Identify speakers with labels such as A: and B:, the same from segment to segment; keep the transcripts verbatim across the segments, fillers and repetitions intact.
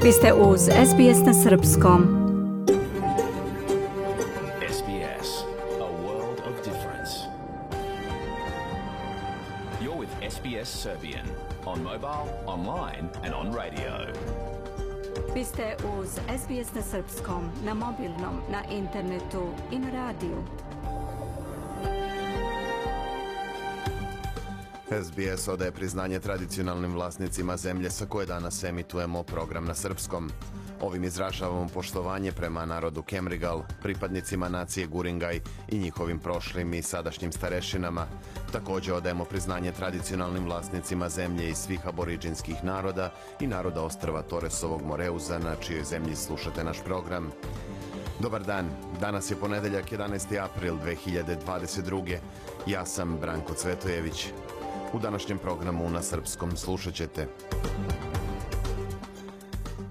A: Vi ste uz S B S na srpskom.
B: S B S, a world of difference. You're with S B S Serbian on mobile, online and on radio.
A: Vi ste uz S B S na srpskom, na mobilnom, na internetu i na radiju.
C: S B S odaje priznanje tradicionalnim vlasnicima zemlje sa koje danas emitujemo program na srpskom. Ovim izražavamo poštovanje prema narodu Kemrigal, pripadnicima nacije Guringaj i njihovim prošlim i sadašnjim starešinama. Također odajemo priznanje tradicionalnim vlasnicima zemlje i svih aboriđinskih naroda i naroda ostrva Toresovog Moreuza, na čijoj zemlji slušate naš program. Dobar dan, danas je ponedeljak jedanaesti april dve hiljade dvadeset druge. Ja sam Branko Cvetojević. U današnjem programu na srpskom slušat ćete.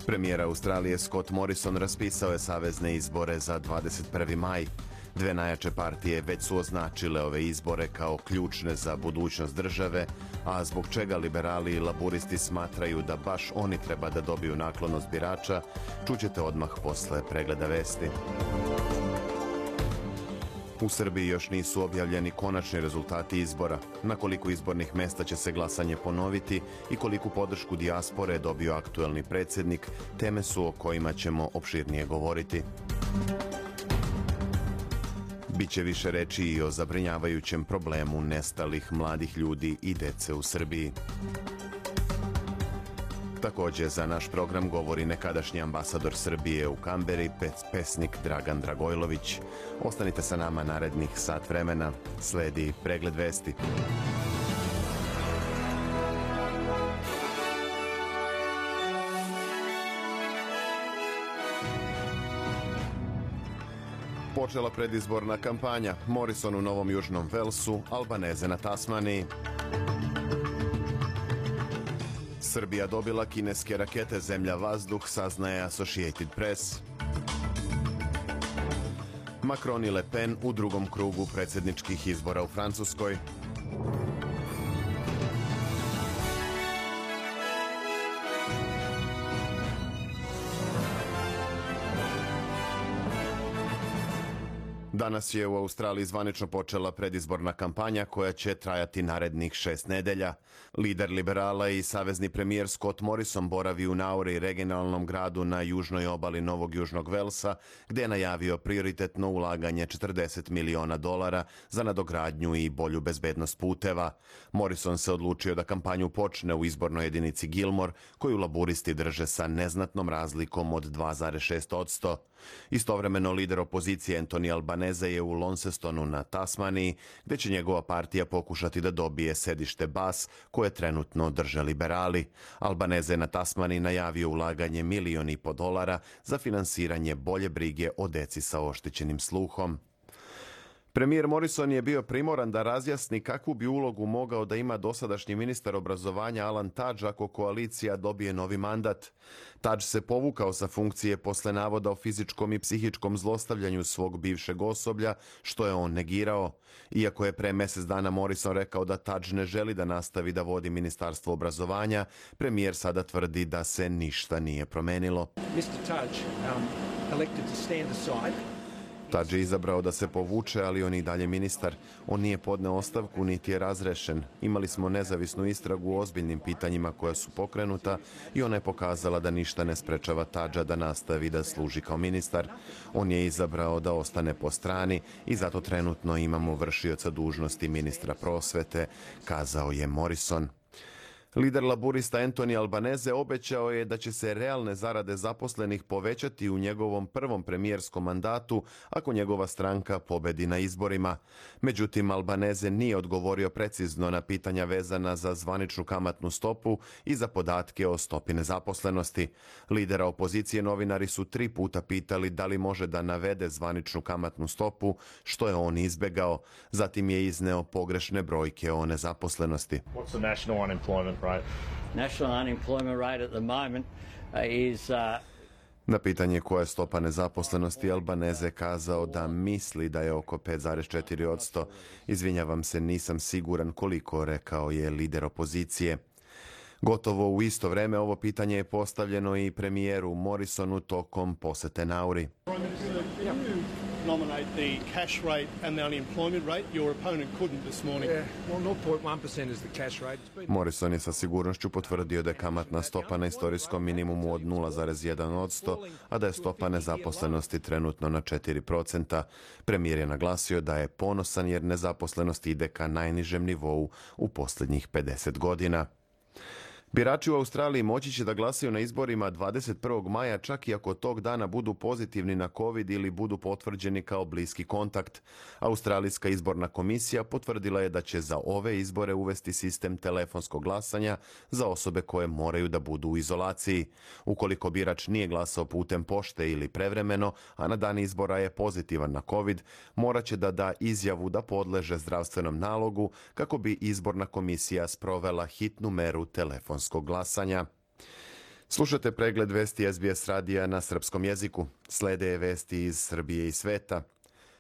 C: Premijer Australije Scott Morrison raspisao je savezne izbore za dvadeset prvi maj. Dve najjače partije već su označile ove izbore kao ključne za budućnost države, a zbog čega liberali i laburisti smatraju da baš oni treba da dobiju naklonost birača, čućete odmah posle pregleda vesti. U Srbiji još nisu objavljeni konačni rezultati izbora. Na koliko izbornih mesta će se glasanje ponoviti i koliku podršku dijaspore dobio aktuelni predsjednik, teme su o kojima ćemo opširnije govoriti. Biće više reči i o zabrinjavajućem problemu nestalih mladih ljudi i dece u Srbiji. Također za naš program govori nekadašnji ambasador Srbije u Kamberi, pesnik Dragan Dragojlović. Ostanite sa nama narednih sat vremena. Sledi pregled vesti. Počela predizborna kampanja. Morrison u Novom Južnom Velsu, Albaneze na Tasmaniji. Srbija dobila kineske rakete zemlja-vazduh, saznaje Associated Press. Macron i Le Pen u drugom krugu predsjedničkih izbora u Francuskoj. Danas je u Australiji zvanično počela predizborna kampanja koja će trajati narednih šest nedelja. Lider liberala i savezni premijer Scott Morrison boravi u Nauri, regionalnom gradu na južnoj obali Novog Južnog Velsa, gdje je najavio prioritetno ulaganje četrdeset miliona dolara za nadogradnju i bolju bezbednost puteva. Morrison se odlučio da kampanju počne u izbornoj jedinici Gilmore, koju laburisti drže sa neznatnom razlikom od dva zarez šest posto. Istovremeno lider opozicije Anthony Albanese je u Launcestonu na Tasmaniji, gdje će njegova partija pokušati da dobije sedište Bass, koje trenutno drže liberali. Albanese je na Tasmaniji najavio ulaganje milion i po dolara za finansiranje bolje brige o deci sa oštećenim sluhom. Premijer Morrison je bio primoran da razjasni kakvu bi ulogu mogao da ima dosadašnji ministar obrazovanja Alan Tudge ako koalicija dobije novi mandat. Tudge se povukao sa funkcije posle navoda o fizičkom i psihičkom zlostavljanju svog bivšeg osoblja, što je on negirao. Iako je pre mjesec dana Morrison rekao da Tudge ne želi da nastavi da vodi ministarstvo obrazovanja, premijer sada tvrdi da se ništa nije promenilo.
D: mister Tudge, um, elected to stand aside.
C: Tudge je izabrao da se povuče, ali on i dalje ministar. On nije podneo ostavku, niti je razrešen. Imali smo nezavisnu istragu o ozbiljnim pitanjima koja su pokrenuta i ona je pokazala da ništa ne sprečava Tudgea da nastavi da služi kao ministar. On je izabrao da ostane po strani i zato trenutno imamo vršioca dužnosti ministra prosvete, kazao je Morrison. Lider laburista Anthony Albanese obećao je da će se realne zarade zaposlenih povećati u njegovom prvom premijerskom mandatu ako njegova stranka pobedi na izborima. Međutim, Albanese nije odgovorio precizno na pitanja vezana za zvaničnu kamatnu stopu i za podatke o stopi nezaposlenosti. Lidera opozicije novinari su tri puta pitali da li može da navede zvaničnu kamatnu stopu, što je on izbegao. Zatim je izneo pogrešne brojke o nezaposlenosti.
E: What's the national unemployment rate?
F: National unemployment rate at the moment uh, is uh,
C: Na pitanje koja je stopa nezaposlenosti, Albanese kazao da misli da je oko pet zarez četiri posto. Izvinjavam se, nisam siguran koliko, rekao je lider opozicije. Gotovo u isto vreme ovo pitanje je postavljeno i premijeru Morrisonu tokom posete Nauri.
G: Nominate the cash rate and the unemployment rate. Your opponent couldn't this morning.
D: Yeah, well, zero point one percent is the cash rate. It's been...
C: Morrison je sa sigurnošću potvrdio da je kamatna stopa na istorijskom minimumu od nula zarez jedan posto, a da je stopa nezaposlenosti trenutno na četiri procenta. Premijer je naglasio da je ponosan jer nezaposlenost ide ka najnižem nivou u posljednjih pedeset godina. Birači u Australiji moći će da glasaju na izborima dvadeset prvog maja čak i ako tog dana budu pozitivni na COVID ili budu potvrđeni kao bliski kontakt. Australijska izborna komisija potvrdila je da će za ove izbore uvesti sistem telefonskog glasanja za osobe koje moraju da budu u izolaciji. Ukoliko birač nije glasao putem pošte ili prevremeno, a na dan izbora je pozitivan na COVID, morat će da da izjavu da podleže zdravstvenom nalogu kako bi izborna komisija sprovela hitnu meru telefonskog glasanja. Slušate pregled vesti S B S radija na srpskom jeziku. Slede vesti iz Srbije i sveta.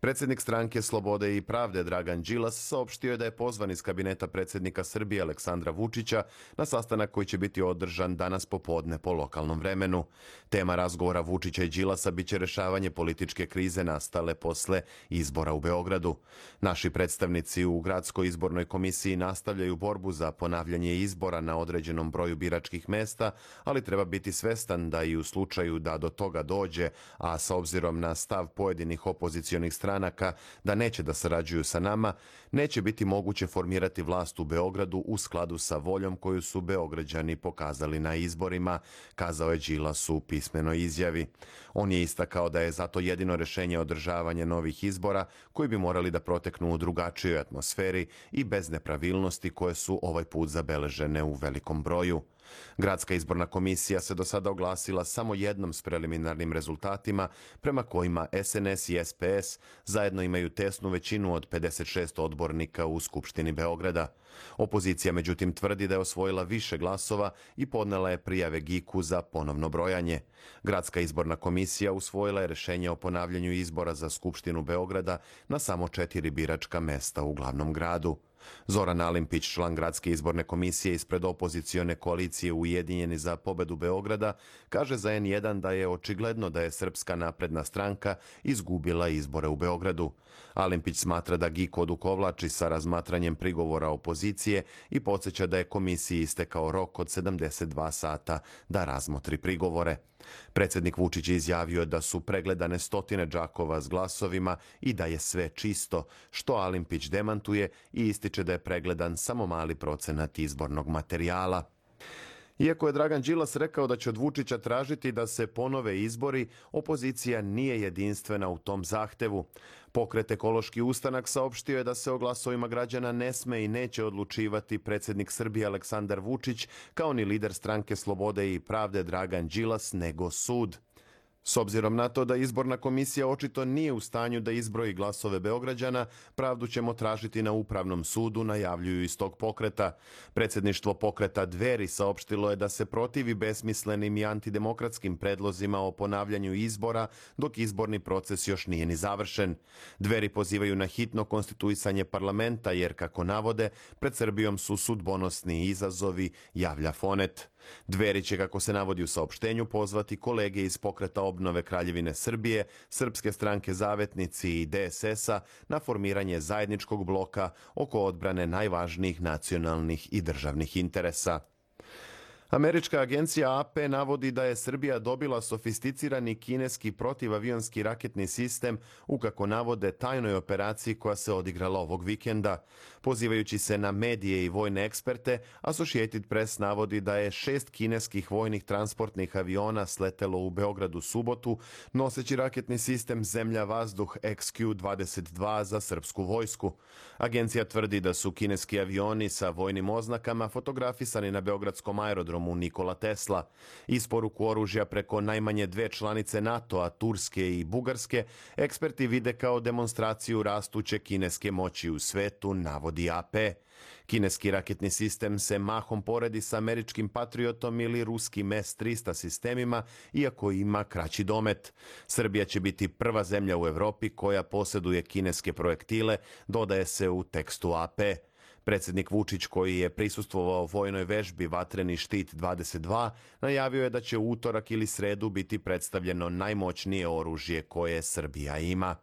C: Predsjednik stranke Slobode i pravde Dragan Đilas saopštio je da je pozvan iz kabineta predsjednika Srbije Aleksandra Vučića na sastanak koji će biti održan danas popodne po lokalnom vremenu. Tema razgovora Vučića i Đilasa biće rešavanje političke krize nastale posle izbora u Beogradu. Naši predstavnici u Gradskoj izbornoj komisiji nastavljaju borbu za ponavljanje izbora na određenom broju biračkih mesta, ali treba biti svestan da i u slučaju da do toga dođe, a sa obzirom na stav pojedinih opozicionih stranaka stranaka da neće da sarađuju sa nama, neće biti moguće formirati vlast u Beogradu u skladu sa voljom koju su Beograđani pokazali na izborima, kazao je Đilas u pismenoj izjavi. On je istakao da je zato jedino rešenje održavanje novih izbora koji bi morali da proteknu u drugačijoj atmosferi i bez nepravilnosti koje su ovaj put zabeležene u velikom broju. Gradska izborna komisija se do sada oglasila samo jednom s preliminarnim rezultatima prema kojima S N S i S P S zajedno imaju tesnu većinu od pedeset šest odbornika u Skupštini Beograda. Opozicija međutim tvrdi da je osvojila više glasova i podnela je prijave G I K-u za ponovno brojanje. Gradska izborna komisija usvojila je rešenje o ponavljanju izbora za Skupštinu Beograda na samo četiri biračka mesta u glavnom gradu. Zoran Alimpić, član Gradske izborne komisije ispred opozicione koalicije Ujedinjeni za pobedu Beograda, kaže za N jedan da je očigledno da je Srpska napredna stranka izgubila izbore u Beogradu. Alimpić smatra da G I K odukovlači sa razmatranjem prigovora opozicije i podsjeća da je komisiji istekao rok od sedamdeset dva sata da razmotri prigovore. Predsjednik Vučić je izjavio da su pregledane stotine džakova s glasovima i da je sve čisto, što Alimpić demantuje i ističe da je pregledan samo mali procenat izbornog materijala. Iako je Dragan Đilas rekao da će od Vučića tražiti da se ponove izbori, opozicija nije jedinstvena u tom zahtevu. Pokret Ekološki ustanak saopštio je da se o glasovima građana ne sme i neće odlučivati predsjednik Srbije Aleksandar Vučić, kao ni lider stranke Slobode i pravde Dragan Đilas, nego sud. S obzirom na to da izborna komisija očito nije u stanju da izbroji glasove Beograđana, pravdu ćemo tražiti na Upravnom sudu, najavljuju iz tog pokreta. Predsjedništvo pokreta Dveri saopštilo je da se protivi besmislenim i antidemokratskim predlozima o ponavljanju izbora, dok izborni proces još nije ni završen. Dveri pozivaju na hitno konstituisanje parlamenta, jer, kako navode, pred Srbijom su sudbonosni izazovi, javlja Fonet. Dveri će, kako se navodi u saopštenju, pozvati kolege iz pokreta obnove Kraljevine Srbije, Srpske stranke Zavetnici i D S S-a na formiranje zajedničkog bloka oko odbrane najvažnijih nacionalnih i državnih interesa. Američka agencija A P navodi da je Srbija dobila sofisticirani kineski protivavionski raketni sistem u, kako navode, tajnoj operaciji koja se odigrala ovog vikenda. Pozivajući se na medije i vojne eksperte, Associated Press navodi da je šest kineskih vojnih transportnih aviona sletelo u Beogradu subotu, noseći raketni sistem zemlja-vazduh X Q dvadeset dva za srpsku vojsku. Agencija tvrdi da su kineski avioni sa vojnim oznakama fotografisani na beogradskom aerodromu Nikola Tesla. Isporuku oružja preko najmanje dve članice NATO-a, Turske i Bugarske, eksperti vide kao demonstraciju rastuće kineske moći u svetu, navodi A P. Kineski raketni sistem se mahom poredi sa američkim Patriotom ili ruskim S trista sistemima, iako ima kraći domet. Srbija će biti prva zemlja u Evropi koja posjeduje kineske projektile, dodaje se u tekstu A P. Predsjednik Vučić, koji je prisustvovao vojnoj vežbi Vatreni štit dvadeset dva, najavio je da će u utorak ili sredu biti predstavljeno najmoćnije oružje koje Srbija ima.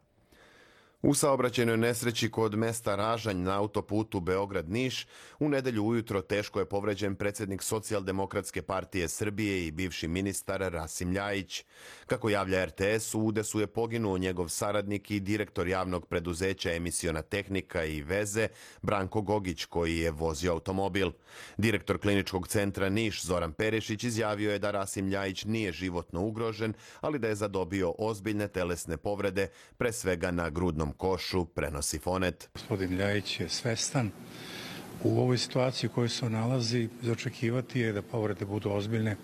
C: U saobraćajnoj nesreći kod mesta Ražanj na autoputu Beograd-Niš u nedelju ujutro teško je povređen predsjednik Socijaldemokratske partije Srbije i bivši ministar Rasim Ljajić. Kako javlja er te es, u udesu je poginuo njegov saradnik i direktor javnog preduzeća Emisiona tehnika i veze Branko Gogić, koji je vozio automobil. Direktor kliničkog centra Niš Zoran Perišić izjavio je da Rasim Ljajić nije životno ugrožen, ali da je zadobio ozbiljne telesne povrede, pre svega na grudnom košu, prenosi Fonet.
H: Gospodin Ljajić je svestan u ovoj situaciji u kojoj se nalazi. Za očekivati je da povrede budu ozbiljne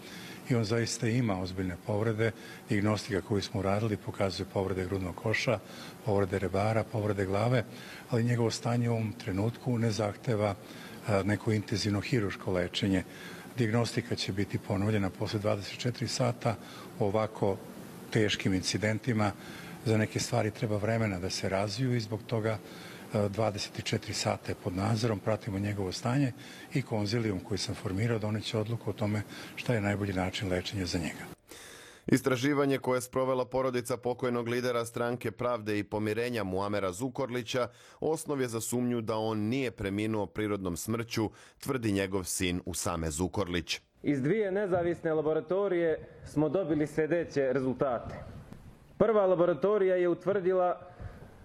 H: i on zaista ima ozbiljne povrede. Dijagnostika koju smo radili pokazuje povrede grudnog koša, povrede rebara, povrede glave, ali njegovo stanje u ovom trenutku ne zahteva neko intenzivno hiruško lečenje. Dijagnostika će biti ponovljena posle dvadeset četiri sata o ovako teškim incidentima. Za neke stvari treba vremena da se razviju i zbog toga dvadeset četiri sata je pod nadzorom, pratimo njegovo stanje i konzilijum koji sam formirao doneće odluku o tome šta je najbolji način lečenja za njega.
C: Istraživanje koje je sprovela porodica pokojnog lidera Stranke pravde i pomirenja Muamera Zukorlića osnov je za sumnju da on nije preminuo prirodnom smrću, tvrdi njegov sin Usame Zukorlić.
I: Iz dvije nezavisne laboratorije smo dobili sljedeće rezultate. Prva laboratorija je utvrdila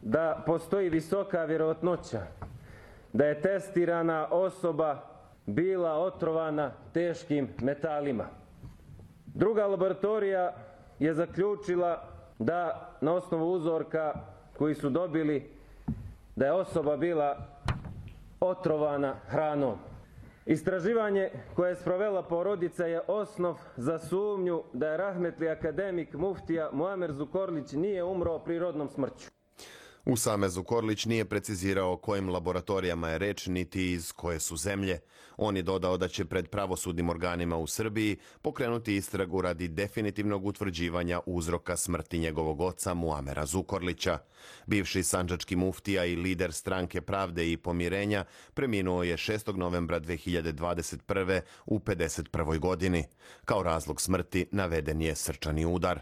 I: da postoji visoka vjerojatnoća da je testirana osoba bila otrovana teškim metalima. Druga laboratorija je zaključila da na osnovu uzorka koji su dobili da je osoba bila otrovana hranom. Istraživanje koje je sprovela porodica je osnov za sumnju da je rahmetli akademik muftija Muamer Zukorlić nije umro prirodnom smrću.
C: Usame Zukorlić nije precizirao o kojim laboratorijama je reč niti iz koje su zemlje. On je dodao da će pred pravosudnim organima u Srbiji pokrenuti istragu radi definitivnog utvrđivanja uzroka smrti njegovog oca Muamera Zukorlića. Bivši sandžački muftija i lider Stranke pravde i pomirenja preminuo je šestog novembra dve hiljade dvadeset prve u pedeset prvoj godini. Kao razlog smrti naveden je srčani udar.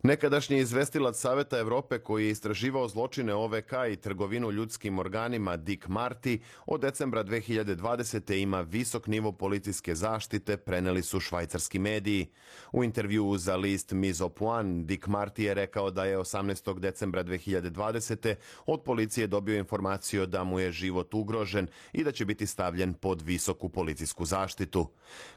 C: Nekadašnji izvestilac Saveta Evrope koji je istraživao zločine o ve ka i trgovinu ljudskim organima Dick Marty od decembra dve hiljade dvadesete ima visok nivo policijske zaštite, preneli su švajcarski mediji. U intervjuu za list Mise au Point, Dick Marty je rekao da je osamnaestog decembra dve hiljade dvadesete od policije dobio informaciju da mu je život ugrožen i da će biti stavljen pod visoku policijsku zaštitu.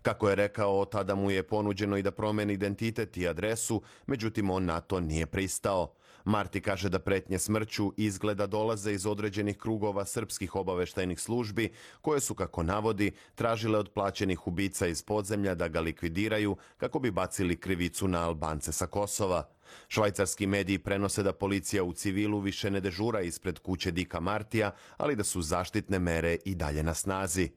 C: Kako je rekao, tada mu je ponuđeno i da promeni identitet i adresu, međutim on na to nije pristao. Marti kaže da pretnje smrću izgleda dolaze iz određenih krugova srpskih obaveštajnih službi, koje su, kako navodi, tražile od plaćenih ubica iz podzemlja da ga likvidiraju kako bi bacili krivicu na Albance sa Kosova. Švajcarski mediji prenose da policija u civilu više ne dežura ispred kuće Dicka Martija, ali da su zaštitne mere i dalje na snazi.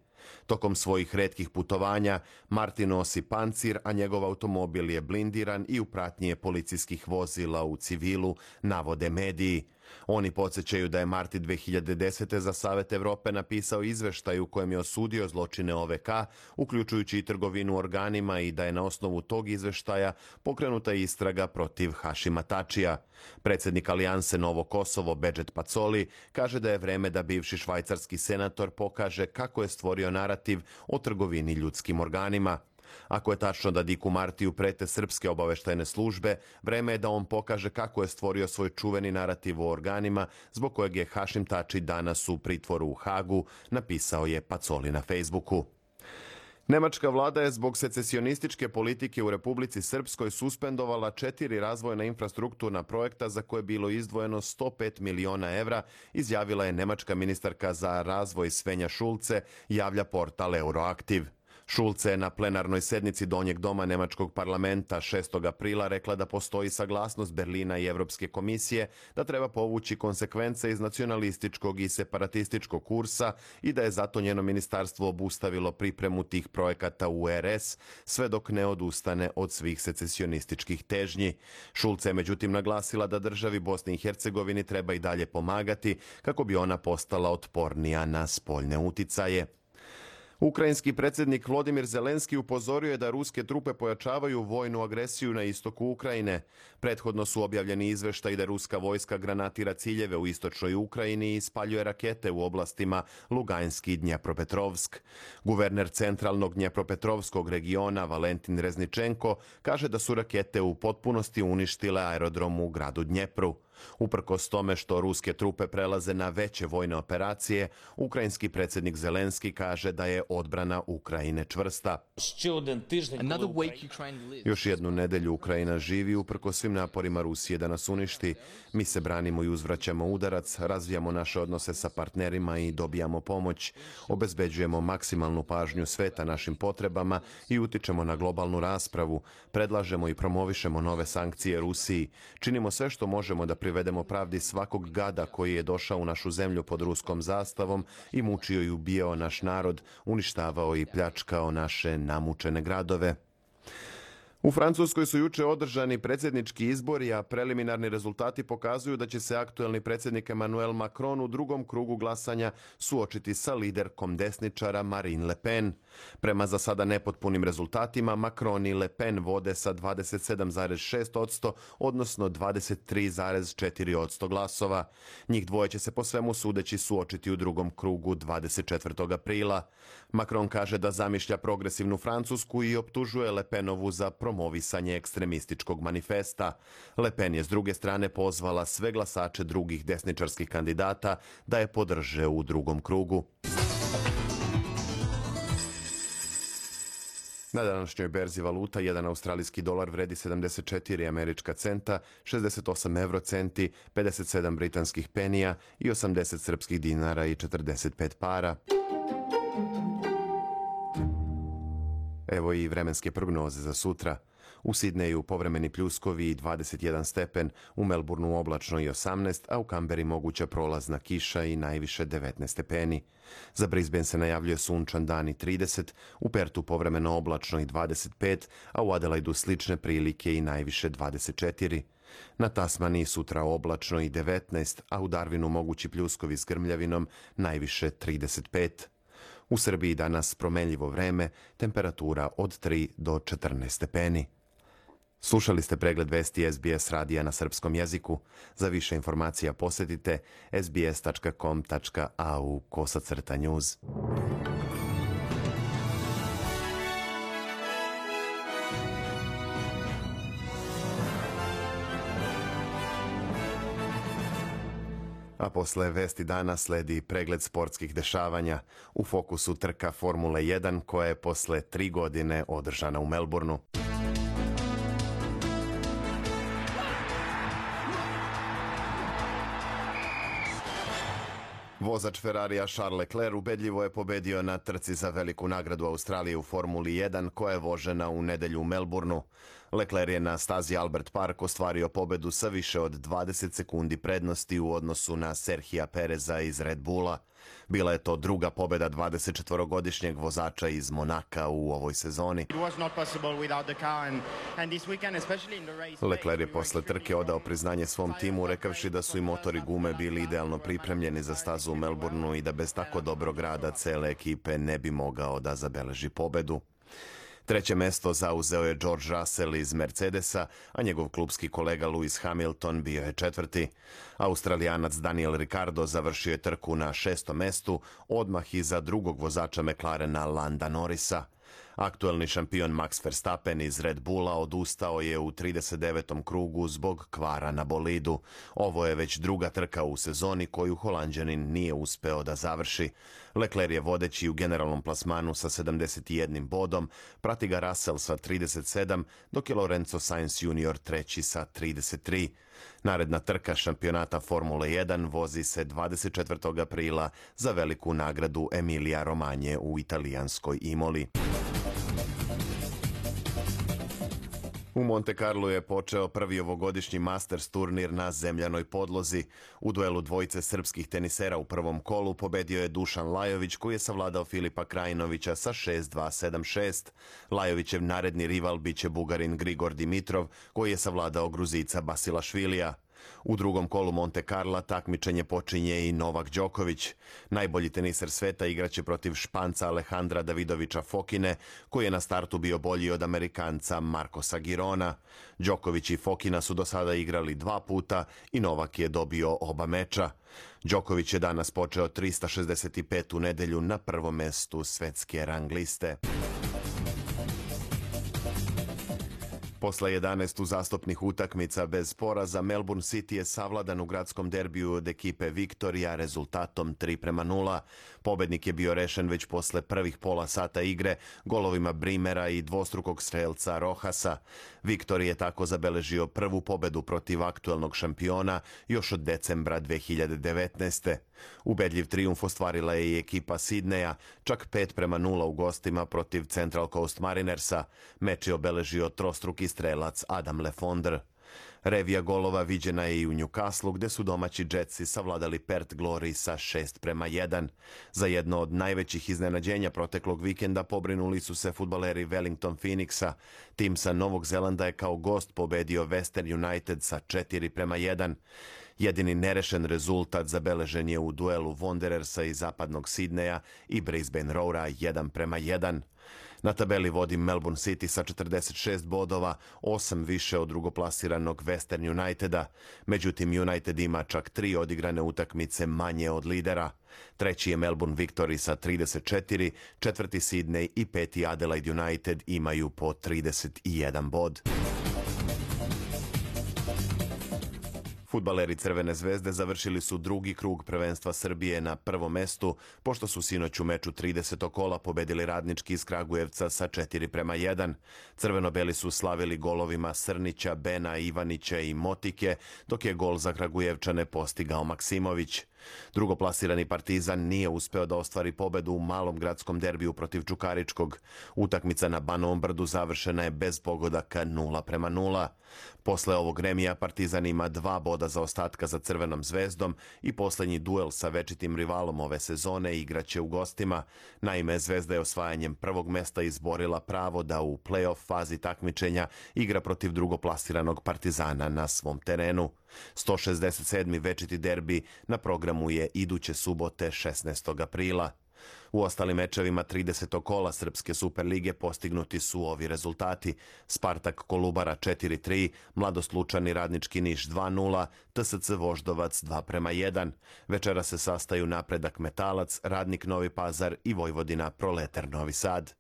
C: Tokom svojih retkih putovanja Marti nosi pancir, a njegov automobil je blindiran i u pratnji je policijskih vozila u civilu, navode mediji. Oni podsjećaju da je Marti dve hiljade desete za Savet Evrope napisao izveštaj u kojem je osudio zločine o ve ka, uključujući i trgovinu organima, i da je na osnovu tog izveštaja pokrenuta istraga protiv Hašima Tačija. Predsjednik Alijanse Novo Kosovo Bedžet Pacoli kaže da je vreme da bivši švajcarski senator pokaže kako je stvorio narativ o trgovini ljudskim organima. Ako je tačno da Dicku Martiju prete srpske obaveštajne službe, vreme je da on pokaže kako je stvorio svoj čuveni narativ o organima, zbog kojeg je Hašim Tači danas u pritvoru u Hagu, napisao je Pacoli na Facebooku. Nemačka vlada je zbog secesionističke politike u Republici Srpskoj suspendovala četiri razvojna infrastrukturna projekta za koje je bilo izdvojeno sto pet miliona evra, izjavila je nemačka ministarka za razvoj Svenja Šulce, javlja portal Euroaktiv. Schulze je na plenarnoj sednici Donjeg doma Nemačkog parlamenta šestog aprila rekla da postoji saglasnost Berlina i Evropske komisije da treba povući konsekvence iz nacionalističkog i separatističkog kursa i da je zato njeno ministarstvo obustavilo pripremu tih projekata u er es sve dok ne odustane od svih secesionističkih težnji. Schulze je međutim naglasila da državi Bosni i Hercegovini treba i dalje pomagati kako bi ona postala otpornija na spoljne uticaje. Ukrajinski predsjednik Volodymyr Zelenski upozorio je da ruske trupe pojačavaju vojnu agresiju na istoku Ukrajine. Prethodno su objavljeni izveštaji da ruska vojska granatira ciljeve u istočnoj Ukrajini i spaljuje rakete u oblastima Luganski i Dnjepropetrovsk. Guverner centralnog Dnjepropetrovskog regiona Valentin Rezničenko kaže da su rakete u potpunosti uništile aerodrom u gradu Dnjepru. Uprkos tome što ruske trupe prelaze na veće vojne operacije, ukrajinski predsjednik Zelenski kaže da je odbrana Ukrajine čvrsta. Još jednu nedelju Ukrajina živi uprkos svim naporima Rusije da nas uništi. Mi se branimo i uzvraćamo udarac, razvijamo naše odnose sa partnerima i dobijamo pomoć. Obezbeđujemo maksimalnu pažnju sveta našim potrebama i utičemo na globalnu raspravu. Predlažemo i promovišemo nove sankcije Rusiji. Činimo sve što možemo da privedemo pravdi svakog gada koji je došao u našu zemlju pod ruskom zastavom i mučio i ubijao naš narod, uništavao i pljačkao naše namučene gradove. U Francuskoj su juče održani predsjednički izbori, a preliminarni rezultati pokazuju da će se aktuelni predsjednik Emmanuel Macron u drugom krugu glasanja suočiti sa liderkom desničara Marine Le Pen. Prema za sada nepotpunim rezultatima, Macron i Le Pen vode sa dvadeset sedam zarez šest posto, odnosno dvadeset tri zarez četiri posto glasova. Njih dvoje će se po svemu sudeći suočiti u drugom krugu dvadeset četvrtog aprila. Macron kaže da zamišlja progresivnu Francusku i optužuje Le Penovu za promovisanje ekstremističkog manifesta. Le Pen je s druge strane pozvala sve glasače drugih desničarskih kandidata da je podrže u drugom krugu. Na današnjoj berzi valuta jedan australijski dolar vredi sedamdeset četiri američka centa, šezdeset osam evrocenti, pedeset sedam britanskih penija i osamdeset srpskih dinara i četrdeset pet para. Evo i vremenske prognoze za sutra. U Sidneju povremeni pljuskovi i dvadeset jedan stepen, u Melbourneu oblačno i osamnaest, a u Kamberi moguća prolazna kiša i najviše devetnaest stepeni. Za Brisbane se najavljuje sunčan dan i trideset, u Pertu povremeno oblačno i dvadeset pet, a u Adelaidu slične prilike i najviše dvadeset četiri. Na Tasmaniji sutra oblačno i devetnaest, a u Darwinu mogući pljuskovi s grmljavinom najviše trideset pet. U Srbiji danas promenljivo vreme, temperatura od tri do četrnaest stepeni. Slušali ste pregled vesti es be es radija na srpskom jeziku. Za više informacija posjetite es be es tačka com tačka a u kosacrta news. A posle vesti dana sledi pregled sportskih dešavanja. U fokusu trka Formule jedan koja je posle tri godine održana u Melbourneu. Vozač Ferrarija Charles Leclerc ubedljivo je pobedio na trci za veliku nagradu Australije u Formuli jedan koja je vožena u nedelju u Melbourneu. Leclerc je na stazi Albert Park ostvario pobedu sa više od dvadeset sekundi prednosti u odnosu na Serhija Pereza iz Red Bulla. Bila je to druga pobeda dvadesetčetvorogodišnjeg vozača iz Monaka u ovoj sezoni. Leclerc je posle trke odao priznanje svom timu rekavši da su i motori gume bili idealno pripremljeni za stazu u Melbourneu i da bez tako dobrog rada cele ekipe ne bi mogao da zabeleži pobedu. Treće mesto zauzeo je George Russell iz Mercedesa, a njegov klupski kolega Lewis Hamilton bio je četvrti. Australijanac Daniel Ricciardo završio je trku na šestom mestu, odmah iza drugog vozača McLarena Landa Norrisa. Aktuelni šampion Max Verstappen iz Red Bulla odustao je u trideset devetom krugu zbog kvara na bolidu. Ovo je već druga trka u sezoni koju Holanđanin nije uspeo da završi. Leclerc je vodeći u generalnom plasmanu sa sedamdeset jednim bodom, prati ga Russell sa trideset sedam, dok je Lorenzo Sainz junior treći sa trideset tri. Naredna trka šampionata Formule jedan vozi se dvadeset četvrtog aprila za veliku nagradu Emilia Romagna u italijanskoj Imoli. U Monte Carlu je počeo prvi ovogodišnji Masters turnir na zemljanoj podlozi. U duelu dvojice srpskih tenisera u prvom kolu pobedio je Dušan Lajović, koji je savladao Filipa Krajinovića sa šest dva sedam šest. Lajovićev naredni rival biće Bugarin Grigor Dimitrov, koji je savladao Gruzica Basilašvilija. U drugom kolu Monte Carla takmičenje počinje i Novak Đoković. Najbolji teniser sveta igraće protiv Španca Alejandra Davidovića Fokine, koji je na startu bio bolji od Amerikanca Marcosa Girona. Đoković i Fokina su do sada igrali dva puta i Novak je dobio oba meča. Đoković je danas počeo trista šezdeset petu nedelju na prvom mestu svetske rang liste. Posle jedanaest uzastopnih utakmica bez poraza, Melbourne City je savladan u gradskom derbiju od ekipe Viktorija rezultatom tri prema nula. Pobednik je bio rešen već posle prvih pola sata igre golovima Brimera i dvostrukog strelca Rohasa. Viktorija je tako zabeležio prvu pobedu protiv aktuelnog šampiona još od decembra dve hiljade devetnaeste. Ubedljiv trijumf ostvarila je i ekipa Sidneja, čak pet prema nula u gostima protiv Central Coast Marinersa. Meč je obeležio trostruki strelac Adam Lefondre. Revija golova viđena je i u Newcastle, gde su domaći Jetsi savladali Perth Glory sa šest prema jedan. Za jedno od najvećih iznenađenja proteklog vikenda pobrinuli su se fudbaleri Wellington Phoenixa. Tim sa Novog Zelanda je kao gost pobedio Western United sa četiri prema jedan. Jedini nerešen rezultat zabeležen je u duelu Wanderersa iz zapadnog Sidneja i Brisbane Roara jedan prema jedan. Na tabeli vodi Melbourne City sa četrdeset šest bodova, osam više od drugoplasiranog Western Uniteda. Međutim, United ima čak tri odigrane utakmice manje od lidera. Treći je Melbourne Victory sa trideset četiri, četvrti Sydney i peti Adelaide United imaju po trideset jedan bod. Fudbaleri Crvene zvezde završili su drugi krug prvenstva Srbije na prvom mestu, pošto su sinoć u meču tridesetog kola pobedili Radnički iz Kragujevca sa četiri prema jedan. Crveno-beli su slavili golovima Srnića, Bena, Ivanića i Motike, dok je gol za Kragujevčane postigao Maksimović. Drugoplasirani Partizan nije uspeo da ostvari pobedu u malom gradskom derbiju protiv Čukaričkog. Utakmica na Banovom Brdu završena je bez pogodaka nula prema nula. Posle ovog remija Partizan ima dva boda za ostatka za Crvenom zvezdom i poslednji duel sa večitim rivalom ove sezone igraće u gostima. Naime, Zvezda je osvajanjem prvog mesta izborila pravo da u play-off fazi takmičenja igra protiv drugoplasiranog Partizana na svom terenu. sto šezdeset sedmi večiti derbi na programu je iduće subote šesnaestog aprila. U ostalim mečevima tridesetog kola Srpske Superlige postignuti su ovi rezultati: Spartak Kolubara četiri tri, Mladost Lučani Radnički Niš dva nula, T S C Voždovac dva prema jedan. Večera se sastaju Napredak Metalac, Radnik Novi Pazar i Vojvodina Proletar Novi Sad.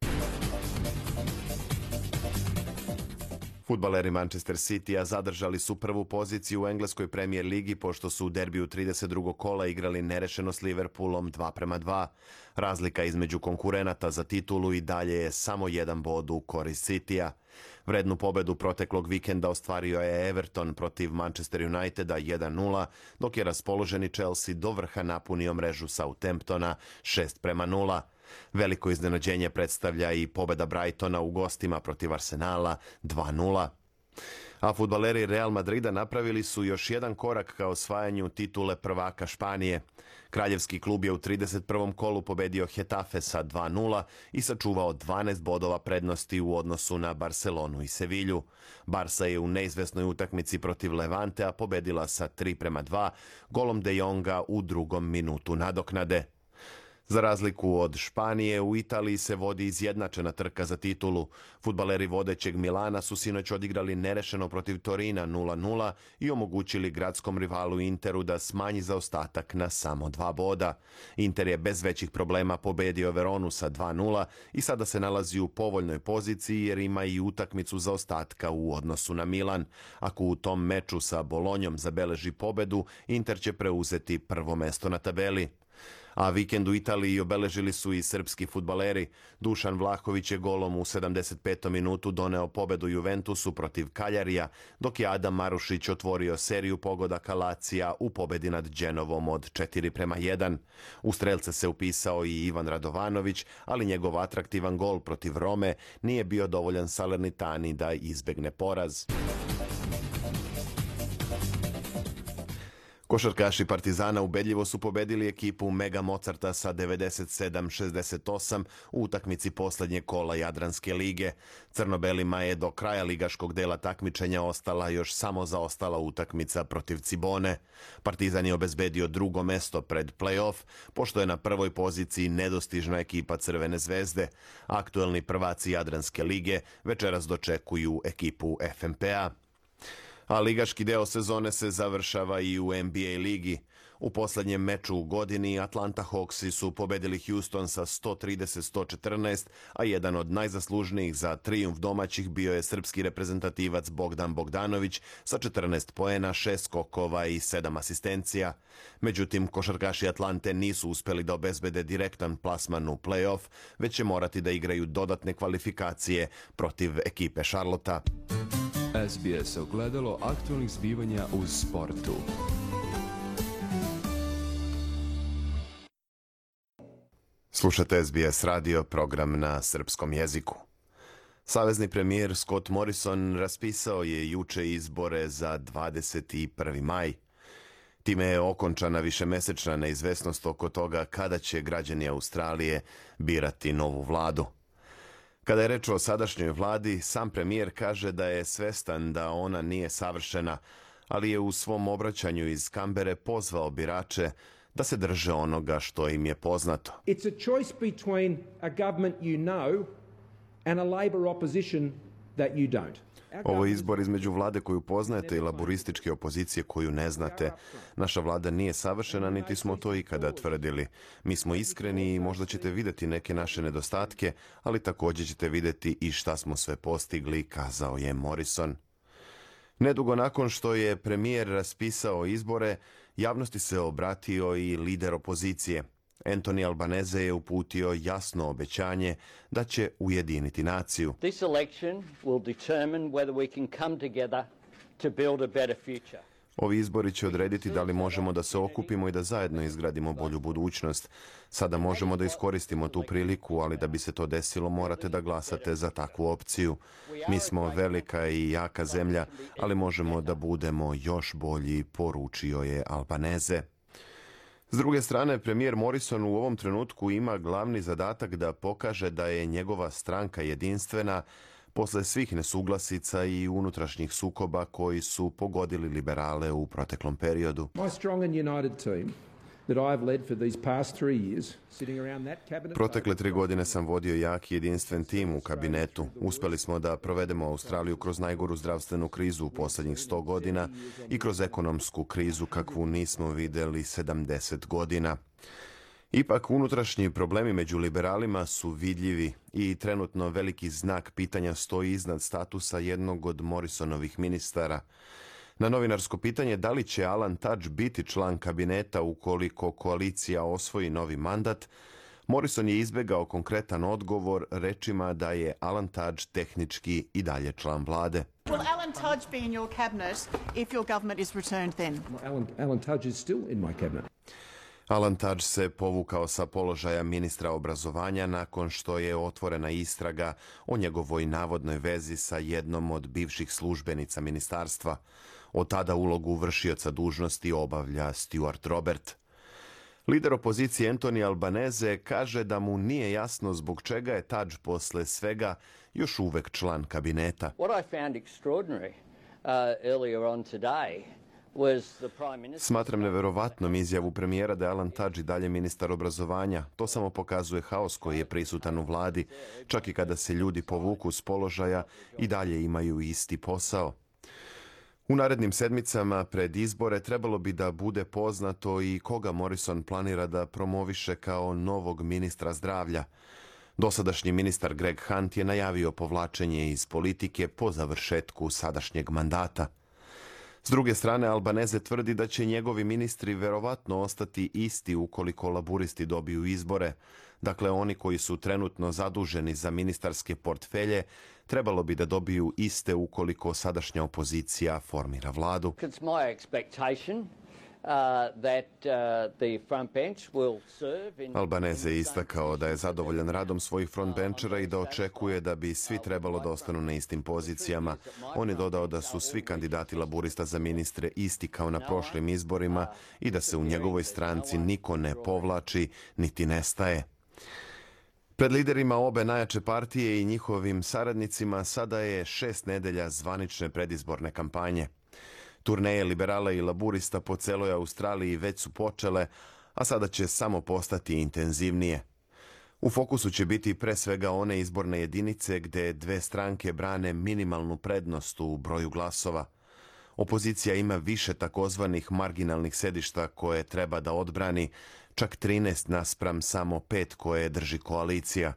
C: Fudbaleri Manchester City-a zadržali su prvu poziciju u engleskoj Premier ligi pošto su u derbiju trideset drugog kola igrali nerešeno s Liverpoolom dva prema dva. Razlika između konkurenata za titulu i dalje je samo jedan bod u korist City-a. Vrednu pobedu proteklog vikenda ostvario je Everton protiv Manchester Uniteda jedan nula, dok je raspoloženi Chelsea do vrha napunio mrežu Southamptona šest prema nula. Veliko iznenađenje predstavlja i pobeda Brightona u gostima protiv Arsenala dva nula. A fudbaleri Real Madrida napravili su još jedan korak ka osvajanju titule prvaka Španije. Kraljevski klub je u trideset prvom kolu pobedio Getafe sa dva nula i sačuvao dvanaest bodova prednosti u odnosu na Barcelonu i Sevilju. Barsa je u neizvesnoj utakmici protiv Levantea pobedila sa tri prema dva, golom De Jonga u drugom minutu nadoknade. Za razliku od Španije, u Italiji se vodi izjednačena trka za titulu. Fudbaleri vodećeg Milana su sinoć odigrali nerešeno protiv Torina nula nula i omogućili gradskom rivalu Interu da smanji zaostatak na samo dva boda. Inter je bez većih problema pobedio Veronu sa dva nula i sada se nalazi u povoljnoj poziciji jer ima i utakmicu zaostatka u odnosu na Milan. Ako u tom meču sa Bolonjom zabeleži pobedu, Inter će preuzeti prvo mesto na tabeli. A vikend u Italiji obeležili su i srpski fudbaleri. Dušan Vlahović je golom u sedamdeset petom minutu doneo pobedu Juventusu protiv Kaljarija, dok je Adam Marušić otvorio seriju pogodaka Lazija u pobedi nad Genovom od četiri prema jedan. U strelce se upisao i Ivan Radovanović, ali njegov atraktivan gol protiv Rome nije bio dovoljan Salernitani da izbegne poraz. Košarkaši Partizana ubedljivo su pobedili ekipu Mega Mozarta sa devedeset sedam šezdeset osam u utakmici poslednjeg kola Jadranske lige. Crnobelima je do kraja ligaškog dela takmičenja ostala još samo zaostala utakmica protiv Cibone. Partizan je obezbedio drugo mesto pred play-off, pošto je na prvoj poziciji nedostižna ekipa Crvene zvezde. Aktuelni prvaci Jadranske lige večeras dočekuju ekipu F M P A. A ligaški deo sezone se završava i u N B A ligi. U poslednjem meču u godini Atlanta Hawksi su pobedili Houston sa sto trideset sto četrnaest, a jedan od najzaslužnijih za trijumf domaćih bio je srpski reprezentativac Bogdan Bogdanović sa četrnaest poena, šest skokova i sedam asistencija. Međutim, košarkaši Atlante nisu uspeli da obezbede direktan plasman u play-off, već će morati da igraju dodatne kvalifikacije protiv ekipe Charlotta.
J: S B S ogledalo aktualnih zbivanja u sportu.
C: Slušate S B S radio, program na srpskom jeziku. Savezni premijer Scott Morrison raspisao je juče izbore za dvadeset prvi maj. Time je okončana višemesečna neizvesnost oko toga kada će građani Australije birati novu vladu. Kada je reč o sadašnjoj vladi, sam premijer kaže da je svestan da ona nije savršena, ali je u svom obraćanju iz Kambere pozvao birače da se drže onoga što im je poznato.
D: It's a choice between a government you know and a Labor opposition that you don't.
C: Ovo je izbor između vlade koju poznajete i laborističke opozicije koju ne znate. Naša vlada nije savršena, niti smo to ikada tvrdili. Mi smo iskreni i možda ćete vidjeti neke naše nedostatke, ali također ćete vidjeti i šta smo sve postigli, kazao je Morrison. Nedugo nakon što je premijer raspisao izbore, javnosti se obratio i lider opozicije. Anthony Albanese je uputio jasno obećanje da će ujediniti naciju.
F: This election will determine whether we can come together to build a better future.
C: Ovi izbori će odrediti da li možemo da se okupimo i da zajedno izgradimo bolju budućnost. Sada možemo da iskoristimo tu priliku, ali da bi se to desilo morate da glasate za takvu opciju. Mi smo velika i jaka zemlja, ali možemo da budemo još bolji, poručio je Albanese. S druge strane, premijer Morrison u ovom trenutku ima glavni zadatak da pokaže da je njegova stranka jedinstvena posle svih nesuglasica i unutrašnjih sukoba koji su pogodili liberale u proteklom periodu. Protekle tri godine sam vodio jak i jedinstven tim u kabinetu. Uspeli smo da provedemo Australiju kroz najgoru zdravstvenu krizu u posljednjih sto godina i kroz ekonomsku krizu kakvu nismo vidjeli sedamdeset godina. Ipak, unutrašnji problemi među liberalima su vidljivi i trenutno veliki znak pitanja stoji iznad statusa jednog od Morrisonovih ministara. Na novinarsko pitanje da li će Alan Tudge biti član kabineta ukoliko koalicija osvoji novi mandat, Morrison je izbegao konkretan odgovor rečima da je Alan Tudge tehnički i dalje član vlade.
K: Will Alan Tudge be in your cabinet if your government is returned then?
D: Alan, Alan Tudge is still in my cabinet.
C: Alan Tudge se povukao sa položaja ministra obrazovanja nakon što je otvorena istraga o njegovoj navodnoj vezi sa jednom od bivših službenica ministarstva. Od tada ulogu vršioca dužnosti obavlja Stuart Robert. Lider opozicije Anthony Albanese kaže da mu nije jasno zbog čega je Tudge posle svega još uvek član kabineta.
F: What I found extraordinary uh, earlier on today
C: Smatram neverovatnom izjavu premijera da je Alan Tudge i dalje ministar obrazovanja. To samo pokazuje haos koji je prisutan u vladi. Čak i kada se ljudi povuku s položaja, i dalje imaju isti posao. U narednim sedmicama pred izbore trebalo bi da bude poznato i koga Morrison planira da promoviše kao novog ministra zdravlja. Dosadašnji ministar Greg Hunt je najavio povlačenje iz politike po završetku sadašnjeg mandata. S druge strane, Albanese tvrdi da će njegovi ministri verovatno ostati isti ukoliko laburisti dobiju izbore. Dakle, oni koji su trenutno zaduženi za ministarske portfelje trebalo bi da dobiju iste ukoliko sadašnja opozicija formira vladu. Albanese je istakao da je zadovoljan radom svojih frontbenčera i da očekuje da bi svi trebalo da ostanu na istim pozicijama. On je dodao da su svi kandidati laburista za ministre isti kao na prošlim izborima i da se u njegovoj stranci niko ne povlači niti nestaje. Pred liderima obe najjače partije i njihovim saradnicima sada je šest nedelja zvanične predizborne kampanje. Turneje liberala i laburista po celoj Australiji već su počele, a sada će samo postati intenzivnije. U fokusu će biti pre svega one izborne jedinice gde dve stranke brane minimalnu prednost u broju glasova. Opozicija ima više takozvanih marginalnih sedišta koje treba da odbrani, čak trinaest naspram samo pet koje drži koalicija.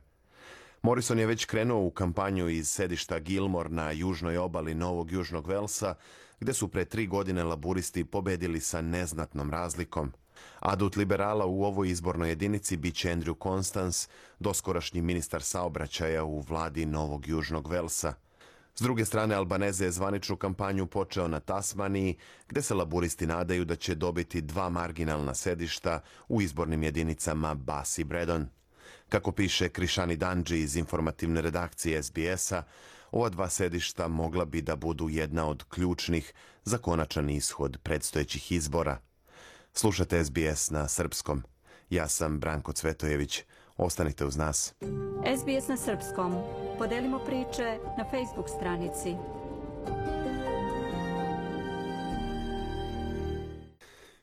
C: Morrison je već krenuo u kampanju iz sedišta Gilmore na južnoj obali Novog Južnog Velsa, gde su pre tri godine laburisti pobedili sa neznatnom razlikom. Adut liberala u ovoj izbornoj jedinici biće Andrew Constance, doskorašnji ministar saobraćaja u vladi Novog Južnog Velsa. S druge strane, Albanese je zvaničnu kampanju počeo na Tasmaniji, gde se laburisti nadaju da će dobiti dva marginalna sedišta u izbornim jedinicama Bass i Bredon. Kako piše Krishani Danji iz informativne redakcije S B S-a, ova dva sedišta mogla bi da budu jedna od ključnih za konačan ishod predstojećih izbora. Slušate S B S na srpskom. Ja sam Branko Cvetojević. Ostanite uz nas.
A: S B S na srpskom. Podelimo priče na Facebook stranici.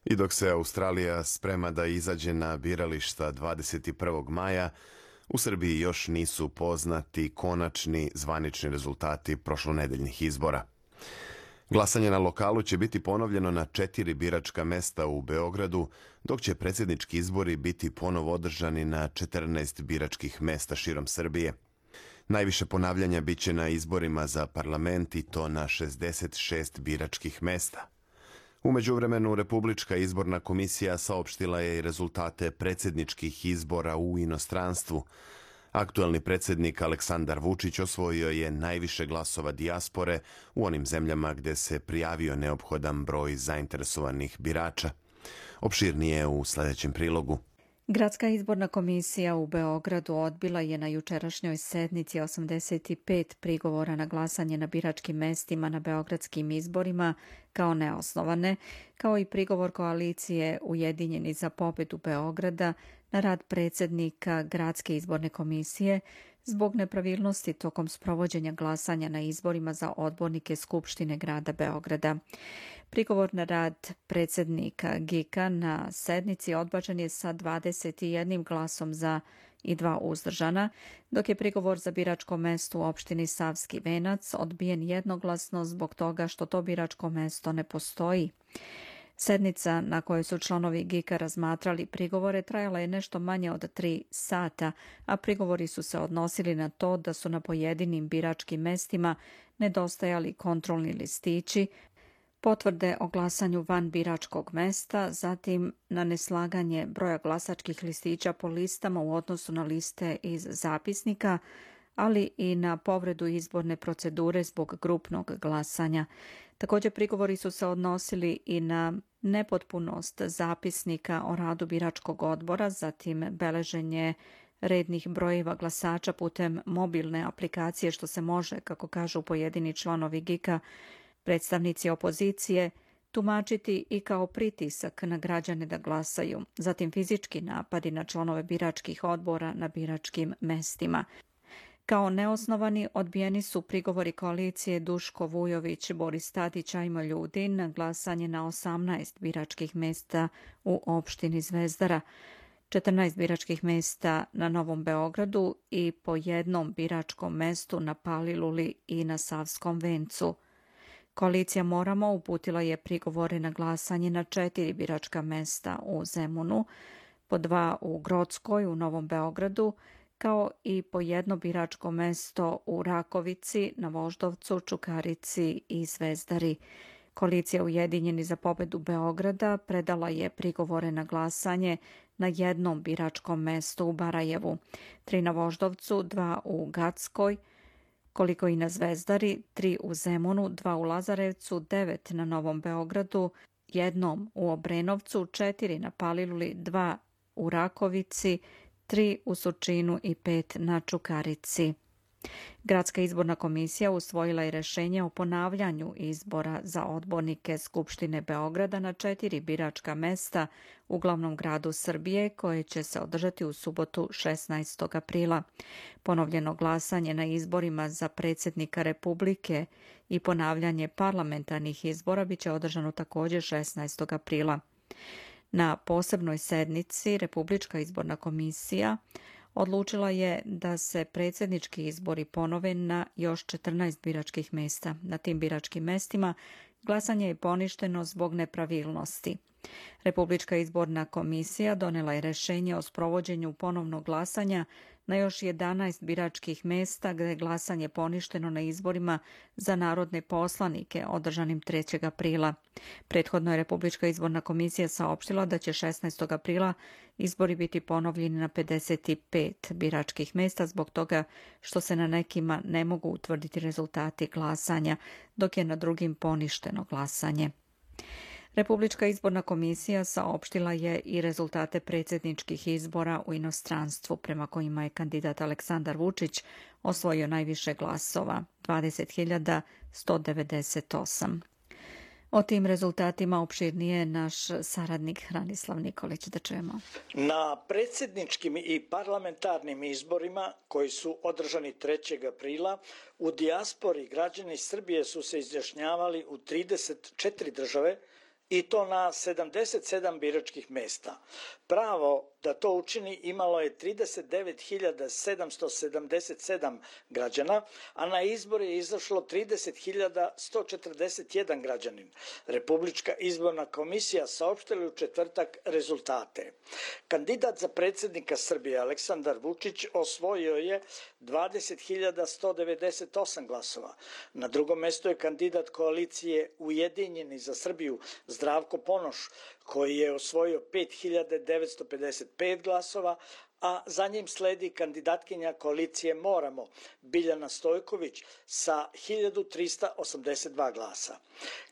C: I dok se Australija sprema da izađe na birališta dvadeset prvog maja, u Srbiji još nisu poznati konačni zvanični rezultati prošlonedeljnih izbora. Glasanje na lokalu će biti ponovljeno na četiri biračka mesta u Beogradu, dok će predsjednički izbori biti ponovo održani na četrnaest biračkih mesta širom Srbije. Najviše ponavljanja biće na izborima za parlament i to na šezdeset šest biračkih mesta. U međuvremenu, Republička izborna komisija saopštila je i rezultate predsjedničkih izbora u inostranstvu. Aktuelni predsjednik Aleksandar Vučić osvojio je najviše glasova dijaspore u onim zemljama gde se prijavio neophodan broj zainteresovanih birača. Opširnije u sljedećem prilogu.
A: Gradska izborna komisija u Beogradu odbila je na jučerašnjoj sednici osamdeset pet prigovora na glasanje na biračkim mestima na beogradskim izborima kao neosnovane, kao i prigovor koalicije Ujedinjeni za pobedu Beograda na rad predsjednika Gradske izborne komisije zbog nepravilnosti tokom sprovođenja glasanja na izborima za odbornike Skupštine grada Beograda. Prigovor na rad predsjednika G I K-a na sednici odbačen je sa dvadeset jednim glasom za i dva uzdržana, dok je prigovor za biračko mesto u opštini Savski Venac odbijen jednoglasno zbog toga što to biračko mesto ne postoji. Sednica na kojoj su članovi G I K-a razmatrali prigovore trajala je nešto manje od tri sata, a prigovori su se odnosili na to da su na pojedinim biračkim mestima nedostajali kontrolni listići, potvrde o glasanju van biračkog mesta, zatim na neslaganje broja glasačkih listića po listama u odnosu na liste iz zapisnika, ali i na povredu izborne procedure zbog grupnog glasanja. Također prigovori su se odnosili i na nepotpunost zapisnika o radu biračkog odbora, zatim beleženje rednih brojeva glasača putem mobilne aplikacije, što se može, kako kažu pojedini članovi G I K-a, predstavnici opozicije, tumačiti i kao pritisak na građane da glasaju, zatim fizički napadi na članove biračkih odbora na biračkim mestima. Kao neosnovani odbijeni su prigovori koalicije Duško Vujović, Boris Tadić, Ajmo Ljudin na glasanje na osamnaest biračkih mesta u opštini Zvezdara, četrnaest biračkih mesta na Novom Beogradu i po jednom biračkom mestu na Paliluli i na Savskom Vencu. Koalicija Moramo uputila je prigovore na glasanje na četiri biračka mesta u Zemunu, po dva u Grockoj u Novom Beogradu, kao i po jedno biračko mesto u Rakovici, na Voždovcu, Čukarici i Zvezdari. Koalicija Ujedinjeni za pobedu Beograda predala je prigovore na glasanje na jednom biračkom mestu u Barajevu, tri na Voždovcu, dva u Gackoj, koliko i na Zvezdari, tri u Zemunu, dva u Lazarevcu, devet na Novom Beogradu, jednom u Obrenovcu, četiri na Paliluli, dva u Rakovici, tri u Surčinu i pet na Čukarici. Gradska izborna komisija usvojila je rešenje o ponavljanju izbora za odbornike Skupštine Beograda na četiri biračka mesta u glavnom gradu Srbije, koje će se održati u subotu šesnaestog aprila. Ponovljeno glasanje na izborima za predsjednika Republike i ponavljanje parlamentarnih izbora biće održano također šesnaestog aprila. Na posebnoj sednici Republička izborna komisija odlučila je da se predsjednički izbori ponove na još četrnaest biračkih mesta. Na tim biračkim mestima glasanje je poništeno zbog nepravilnosti. Republička izborna komisija donela je rešenje o sprovođenju ponovnog glasanja na još jedanaest biračkih mesta gdje je glasanje poništeno na izborima za narodne poslanike održanim trećeg aprila. Prethodno je Republička izborna komisija saopštila da će šesnaestog aprila izbori biti ponovljeni na pedeset pet biračkih mesta zbog toga što se na nekima ne mogu utvrditi rezultati glasanja, dok je na drugim poništeno glasanje. Republička izborna komisija saopštila je i rezultate predsjedničkih izbora u inostranstvu, prema kojima je kandidat Aleksandar Vučić osvojio najviše glasova, dvadeset hiljada sto devedeset osam. O tim rezultatima opširnije je naš saradnik Hranislav Nikolić. Da čujemo.
L: Na predsjedničkim i parlamentarnim izborima koji su održani trećeg aprila u dijaspori građani Srbije su se izjašnjavali u trideset četiri države i to na sedamdeset sedam biračkih mesta. Pravo da to učini imalo je trideset devet hiljada sedamsto sedamdeset sedam građana, a na izbore je izašlo trideset hiljada sto četrdeset jedan građanin. Republička izborna komisija saopštila u četvrtak rezultate. Kandidat za predsjednika Srbije Aleksandar Vučić osvojio je dvadeset hiljada sto devedeset osam glasova. Na drugom mestu je kandidat koalicije Ujedinjeni za Srbiju Zdravko Ponoš, koji je osvojio pet hiljada devetsto pedeset pet glasova, a za njim sledi kandidatkinja koalicije Moramo, Biljana Stojković, sa hiljadu trista osamdeset dva glasa.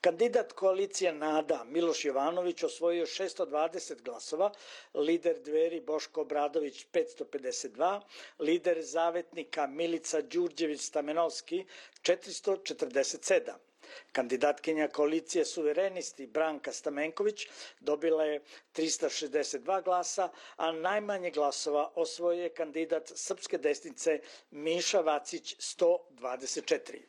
L: Kandidat koalicije Nada, Miloš Jovanović, osvojio šesto dvadeset glasova, lider Dveri Boško Obradović petsto pedeset dva, lider Zavetnika Milica Đurđević-Stamenovski četiristo četrdeset sedam. Kandidatkinja koalicije Suverenisti Branka Stamenković dobila je trista šezdeset dva glasa, a najmanje glasova osvojio je kandidat Srpske desnice Miša Vacić sto dvadeset četiri.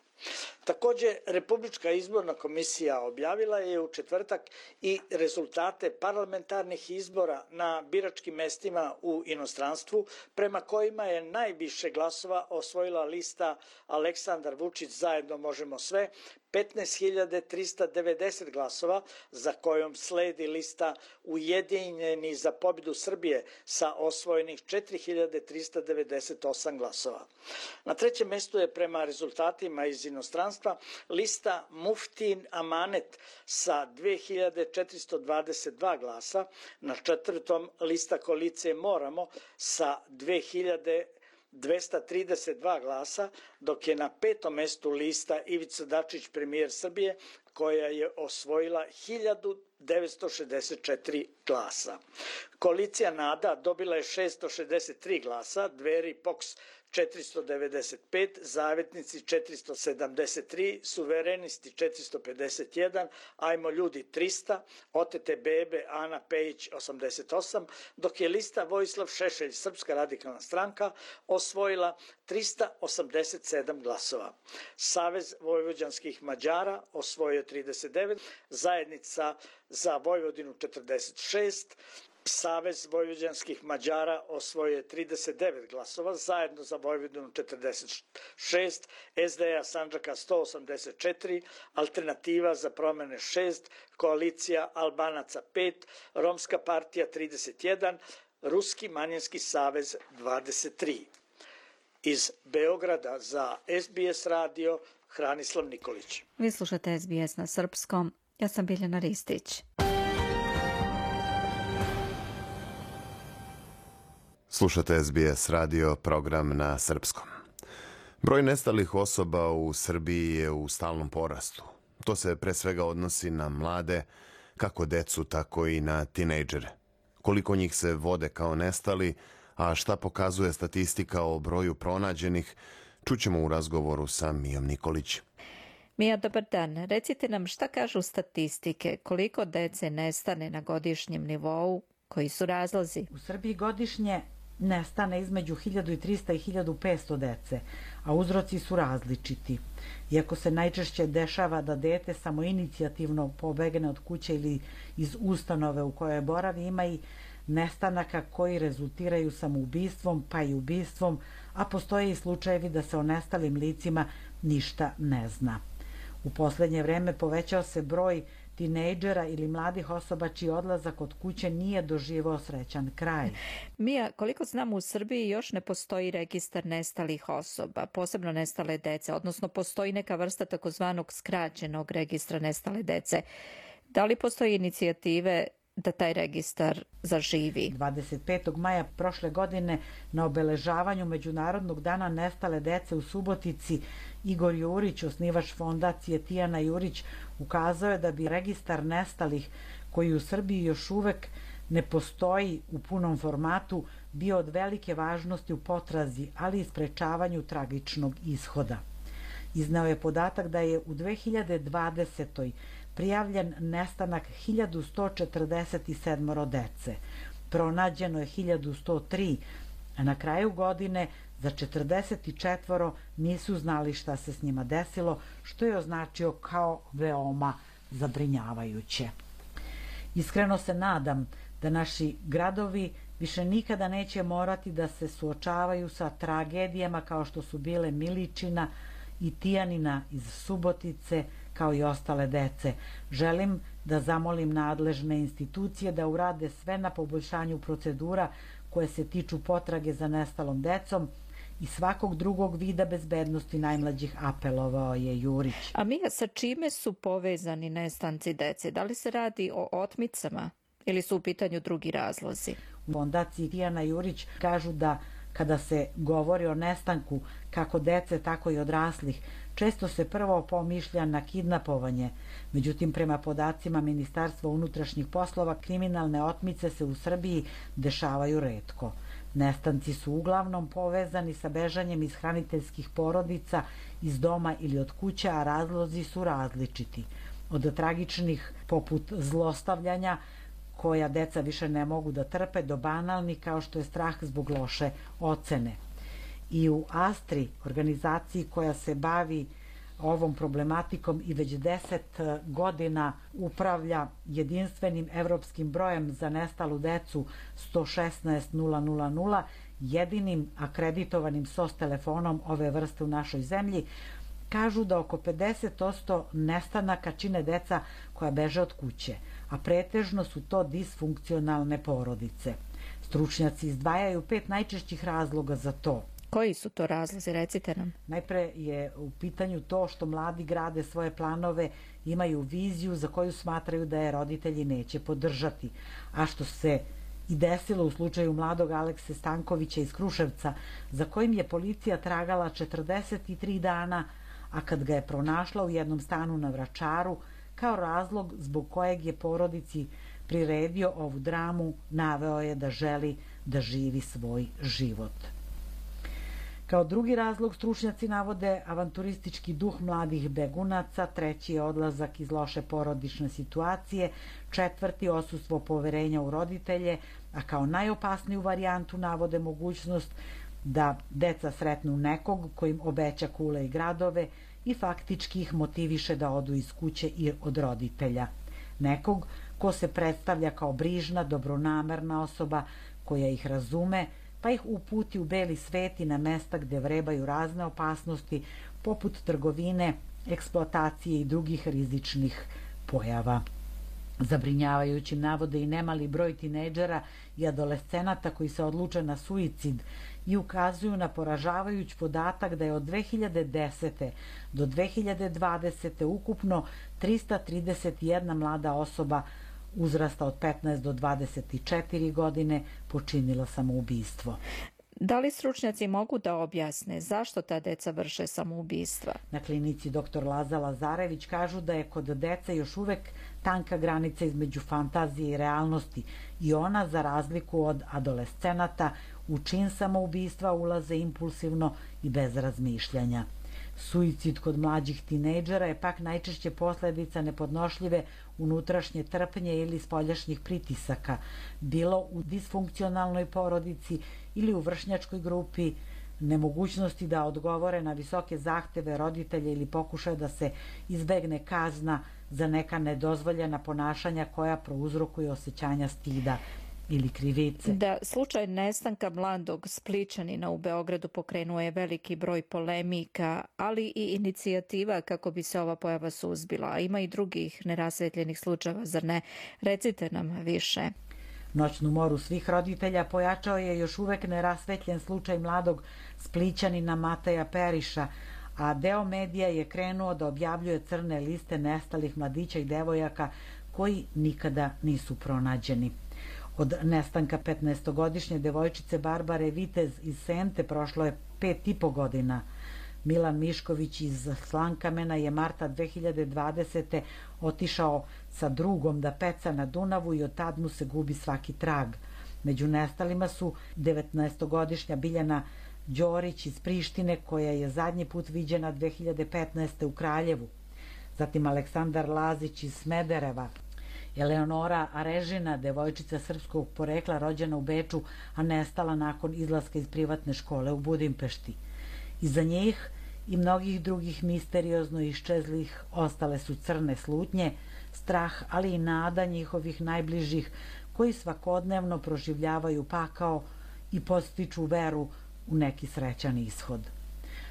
L: Također, Republička izborna komisija objavila je u četvrtak i rezultate parlamentarnih izbora na biračkim mestima u inostranstvu, prema kojima je najviše glasova osvojila lista Aleksandar Vučić Zajedno možemo sve, petnaest hiljada trista devedeset glasova, za kojom sledi lista Ujedinjeni za pobjedu Srbije sa osvojenih četiri hiljade trista devedeset osam glasova. Na trećem mjestu je prema rezultatima iz inostranstva lista Muftin Amanet sa dve hiljade četiristo dvadeset dva glasa, na četvrtom lista koalicije Moramo sa dve hiljade dvesta trideset dva glasa, dok je na petom mjestu lista Ivica Dačić, premijer Srbije, koja je osvojila hiljadu devetsto šezdeset četiri glasa. Koalicija Nada dobila je šesto šezdeset tri glasa, Dveri Poks četiristo devedeset pet, Zavetnici četiristo sedamdeset tri, Suverenisti četiristo pedeset jedan, Ajmo ljudi trista, Otete bebe Ana Pejić osamdeset osam, dok je lista Vojislav Šešelj Srpska radikalna stranka osvojila trista osamdeset sedam glasova. Savez vojvođanskih Mađara osvojio trideset devet, Zajednica za Vojvodinu četrdeset šest, Savez vojvođanskih Mađara osvojio je trideset devet glasova, Zajedno za Vojvodinu četrdeset šest, S D A Sandžaka sto osamdeset četiri, Alternativa za promjene šest, Koalicija Albanaca pet, Romska partija trideset jedan, Ruski manjinski savez dvadeset tri. Iz Beograda za S B S radio Hranislav Nikolić.
A: Vi slušate S B S na srpskom. Ja sam Biljana Ristić.
C: Slušate S B S radio, program na srpskom. Broj nestalih osoba u Srbiji je u stalnom porastu. To se pre svega odnosi na mlade, kako decu, tako i na tinejdžere. Koliko njih se vode kao nestali, a šta pokazuje statistika o broju pronađenih, čućemo u razgovoru sa Mijom Nikolić.
A: Mija, dobar dan. Recite nam šta kažu statistike, koliko dece nestane na godišnjem nivou, koji su razlozi?
M: U Srbiji godišnje nestane između hiljadu trista i hiljadu petsto dece, a uzroci su različiti. Iako se najčešće dešava da dete samoinicijativno pobegne od kuće ili iz ustanove u kojoj boravi, ima i nestanaka koji rezultiraju samoubistvom pa i ubistvom, a postoje i slučajevi da se o nestalim licima ništa ne zna. U poslednje vreme povećao se broj tinejdžera ili mladih osoba čiji odlazak od kuće nije doživao srećan kraj.
A: Mija, koliko znam, u Srbiji još ne postoji registar nestalih osoba, posebno nestale dece, odnosno postoji neka vrsta takozvanog skraćenog registra nestale dece. Da li postoji inicijative da taj registar zaživi?
M: dvadeset petog maja prošle godine na obeležavanju Međunarodnog dana nestale dece u Subotici Igor Jurić, osnivač fondacije Tijana Jurić, ukazao je da bi registar nestalih, koji u Srbiji još uvek ne postoji u punom formatu, bio od velike važnosti u potrazi, ali i sprečavanju tragičnog ishoda. Izneo je podatak da je u dve hiljade dvadesetoj prijavljen nestanak hiljadu sto četrdeset sedam dece. Pronađeno je hiljadu sto tri, a na kraju godine za četrdeset četiri nisu znali šta se s njima desilo, što je označio kao veoma zabrinjavajuće. Iskreno se nadam da naši gradovi više nikada neće morati da se suočavaju sa tragedijama kao što su bile Miličina i Tijanina iz Subotice, kao i ostale dece. Želim da zamolim nadležne institucije da urade sve na poboljšanju procedura koje se tiču potrage za nestalom decom i svakog drugog vida bezbednosti najmlađih, apelovao je Jurić.
A: A Mija, sa čime su povezani nestanci dece? Da li se radi o otmicama ili su u pitanju drugi razlozi?
M: U fondaciji Tijana Jurić kažu da kada se govori o nestanku kako dece, tako i odraslih, često se prvo pomišlja na kidnapovanje. Međutim, prema podacima Ministarstva unutrašnjih poslova, kriminalne otmice se u Srbiji dešavaju retko. Nestanci su uglavnom povezani sa bežanjem iz hraniteljskih porodica, iz doma ili od kuća, a razlozi su različiti. Od tragičnih poput zlostavljanja, koja deca više ne mogu da trpe, do banalni kao što je strah zbog loše ocene. I u Astri, organizaciji koja se bavi ovom problematikom i već deset godina upravlja jedinstvenim evropskim brojem za nestalu decu sto šesnaest nula nula nula, jedinim akreditovanim S O S telefonom ove vrste u našoj zemlji, kažu da oko pedeset posto nestanaka čine deca koja beže od kuće, a pretežno su to disfunkcionalne porodice. Stručnjaci izdvajaju pet najčešćih razloga za to.
A: Koji su to razlozi, recite nam?
M: Najpre je u pitanju to što mladi grade svoje planove, imaju viziju za koju smatraju da je roditelji neće podržati, a što se i desilo u slučaju mladog Alekse Stankovića iz Kruševca, za kojim je policija tragala četrdeset tri dana, a kad ga je pronašla u jednom stanu na Vračaru, kao razlog zbog kojeg je porodici priredio ovu dramu, naveo je da želi da živi svoj život. Kao drugi razlog stručnjaci navode avanturistički duh mladih begunaca, treći je odlazak iz loše porodične situacije, četvrti odsustvo poverenja u roditelje, a kao najopasniju varijantu navode mogućnost da deca sretnu nekog ko im obeća kule i gradove i faktički ih motiviše da odu iz kuće i od roditelja. Nekog ko se predstavlja kao brižna, dobronamerna osoba koja ih razume, pa ih uputi u beli svet i na mesta gde vrebaju razne opasnosti, poput trgovine, eksploatacije i drugih rizičnih pojava. Zabrinjavajućim navode i nemali broj tinejdžera i adolescenata koji se odluče na suicid, i ukazuju na poražavajući podatak da je od dve hiljade desete do dve hiljade dvadesete ukupno trista trideset jedna mlada osoba uzrasta od petnaest do dvadeset četiri godine počinila samoubistvo.
A: Da li stručnjaci mogu da objasne zašto ta deca vrše samoubistva?
M: Na klinici doktor Laza Lazarević kažu da je kod dece još uvek tanka granica između fantazije i realnosti i ona, za razliku od adolescenata, u čin samoubistva ulaze impulsivno i bez razmišljanja. Suicid kod mlađih tinejdžera je pak najčešće posledica nepodnošljive unutrašnje trpnje ili spoljašnjih pritisaka, bilo u disfunkcionalnoj porodici ili u vršnjačkoj grupi, nemogućnosti da odgovore na visoke zahteve roditelja ili pokušaja da se izbegne kazna za neka nedozvoljena ponašanja koja prouzrokuju osjećanja stida ili krivice.
A: Da, slučaj nestanka mladog Splićanina u Beogradu pokrenuo je veliki broj polemika, ali i inicijativa kako bi se ova pojava suzbila. A ima i drugih nerasvetljenih slučajeva, zar ne? Recite nam više.
M: Noćnu moru svih roditelja pojačao je još uvek nerasvetljen slučaj mladog Splićanina Mateja Periša, a deo medija je krenuo da objavljuje crne liste nestalih mladića i devojaka koji nikada nisu pronađeni. Od nestanka petnaestogodišnje devojčice Barbare Vitez iz Sente prošlo je pet i po godina. Milan Mišković iz Slankamena je marta dve hiljade dvadesete otišao sa drugom da peca na Dunavu i od tad mu se gubi svaki trag. Među nestalima su devetnaestogodišnja Biljana Đorić iz Prištine, koja je zadnji put viđena dve hiljade petnaeste u Kraljevu. Zatim Aleksandar Lazić iz Smedereva, Eleonora Arežina, devojčica srpskog porekla rođena u Beču, a nestala nakon izlaska iz privatne škole u Budimpešti. Iza njih i mnogih drugih misteriozno iščezlih ostale su crne slutnje, strah, ali i nada njihovih najbližih koji svakodnevno proživljavaju pakao i podstiču veru u neki srećan ishod.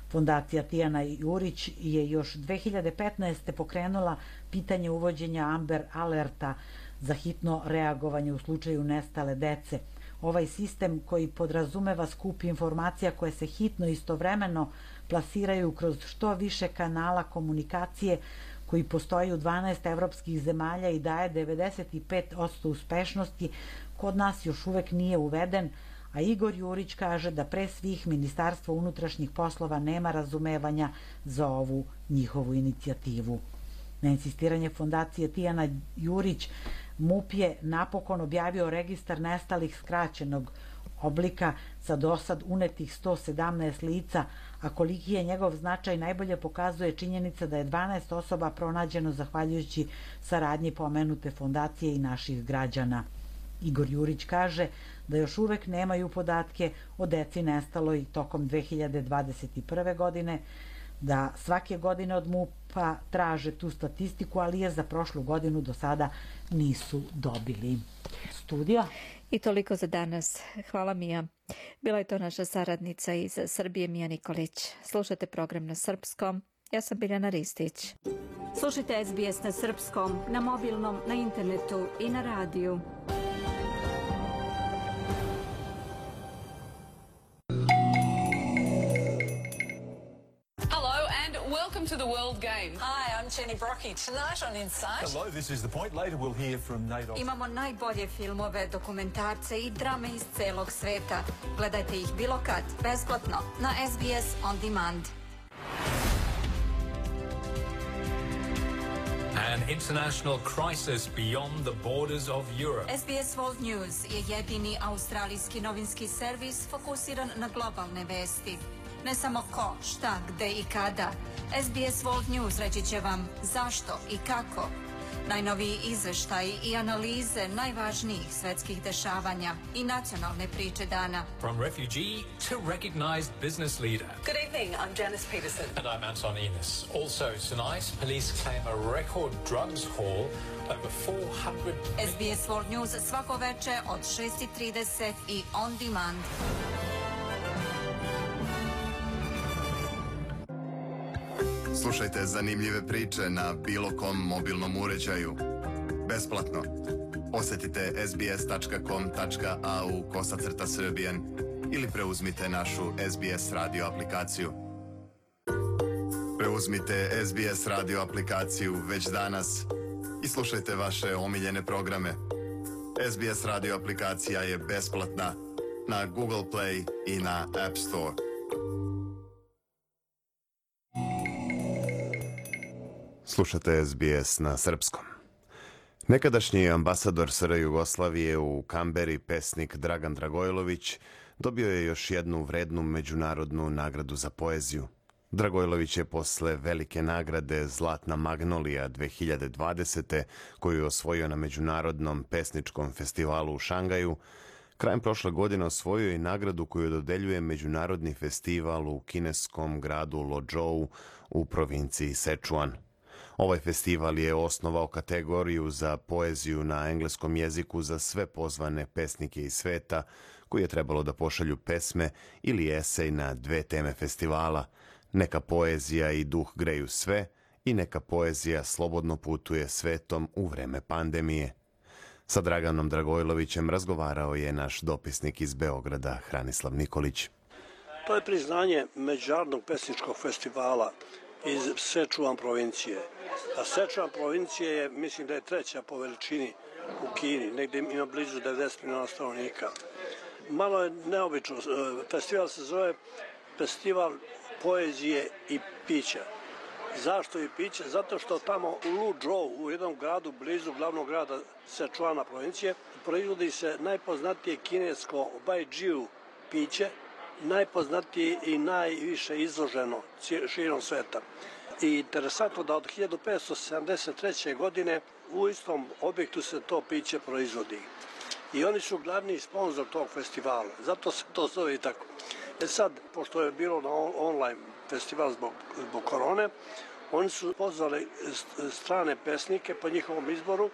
M: Fondacija Tijana Jurić je još dve hiljade petnaeste pokrenula pitanje uvođenja Amber Alerta za hitno reagovanje u slučaju nestale dece. Ovaj sistem, koji podrazumeva skup informacija koje se hitno istovremeno plasiraju kroz što više kanala komunikacije, koji postoji u dvanaest evropskih zemalja i daje devedeset pet posto uspešnosti, kod nas još uvek nije uveden, a Igor Jurić kaže da pre svih Ministarstvo unutrašnjih poslova nema razumevanja za ovu njihovu inicijativu. Na insistiranje fondacije Tijana Jurić, MUP je napokon objavio registar nestalih skraćenog oblika sa dosad unetih sto sedamnaest lica, a koliki je njegov značaj najbolje pokazuje činjenica da je dvanaest osoba pronađeno zahvaljujući saradnji pomenute fondacije i naših građana. Igor Jurić kaže da još uvek nemaju podatke o deci nestaloj tokom dve hiljade dvadeset prve. godine, da svake godine od MUP-a traže tu statistiku, ali je za prošlu godinu do sada nisu dobili. Studio.
A: I toliko za danas. Hvala, Mija. Bila je to naša saradnica iz Srbije, Mija Nikolić. Slušate program na srpskom. Ja sam Biljana Ristić.
N: Slušajte S B S na srpskom, na mobilnom, na internetu i na radiju.
O: Welcome to the World Game.
P: Hi, I'm Jenny Brockie. Tonight on Insight.
Q: Hello, this is The Point. Later we'll hear from Nate Osborne.
N: Imamo najbolje filmove, dokumentarce i drame iz celog sveta. Gledajte ih bilo kad, besplatno, na S B S On Demand.
R: An international crisis beyond the borders of Europe.
N: S B S World News je jedini australijski novinski servis fokusiran na globalne vesti. Ne samo ko, šta, gde i kada. S B S World News reći će vam zašto i kako. Najnoviji izveštaji i analize najvažnijih svetskih dešavanja i nacionalne priče dana.
R: From refugee to recognized business leader.
P: Good evening, I'm Janice Peterson.
R: And I'm Anton Enos. Also tonight, police claim a record drugs haul over four hundred...
N: S B S World News svako veče od šest i trideset i on demand.
C: Slušajte zanimljive priče na bilo kom mobilnom uređaju. Besplatno. Posetite sbs tačka com tačka a u kosacrta Serbian ili preuzmite našu S B S radio aplikaciju. Preuzmite S B S radio aplikaciju već danas i slušajte vaše omiljene programe. S B S radio aplikacija je besplatna na Google Play i na App Store. Slušate S B S na srpskom. Nekadašnji ambasador S R Jugoslavije u Kamberi, pesnik Dragan Dragojlović, dobio je još jednu vrednu međunarodnu nagradu za poeziju. Dragojlović je posle velike nagrade Zlatna magnolija dve hiljade dvadesete. koju je osvojio na Međunarodnom pesničkom festivalu u Šangaju, krajem prošle godine osvojio i nagradu koju dodeljuje Međunarodni festival u kineskom gradu Lozhou u provinciji Sečuan. Ovaj festival je osnovao kategoriju za poeziju na engleskom jeziku za sve pozvane pesnike iz sveta koji je trebalo da pošalju pesme ili esej na dve teme festivala. Neka poezija i duh greju sve i neka poezija slobodno putuje svetom u vreme pandemije. Sa Draganom Dragojlovićem razgovarao je naš dopisnik iz Beograda, Hranislav Nikolić.
S: To je priznanje Međunarodnog pesničkog festivala iz Sečuan provincije. A Sečuan provincije je, mislim da je treća po veličini u Kini, negdje ima blizu devedeset miliona stanovnika. Malo je neobično, festival se zove Festival poezije i pića. Zašto i piće? Zato što tamo u Luzhou, u jednom gradu blizu glavnog grada Sečuana provincije, proizvodi se najpoznatije kinesko baijiu piće, najpoznatije i najviše izloženo širom sveta. I interesantno da od hiljadu petsto sedamdeset treće. godine u istom objektu se to piće proizvodi. I oni su glavni sponsor tog festivala, zato se to zove i tako. E sad, pošto je bilo na online festival zbog, zbog korone, oni su pozvali strane pesnike po njihovom izboru.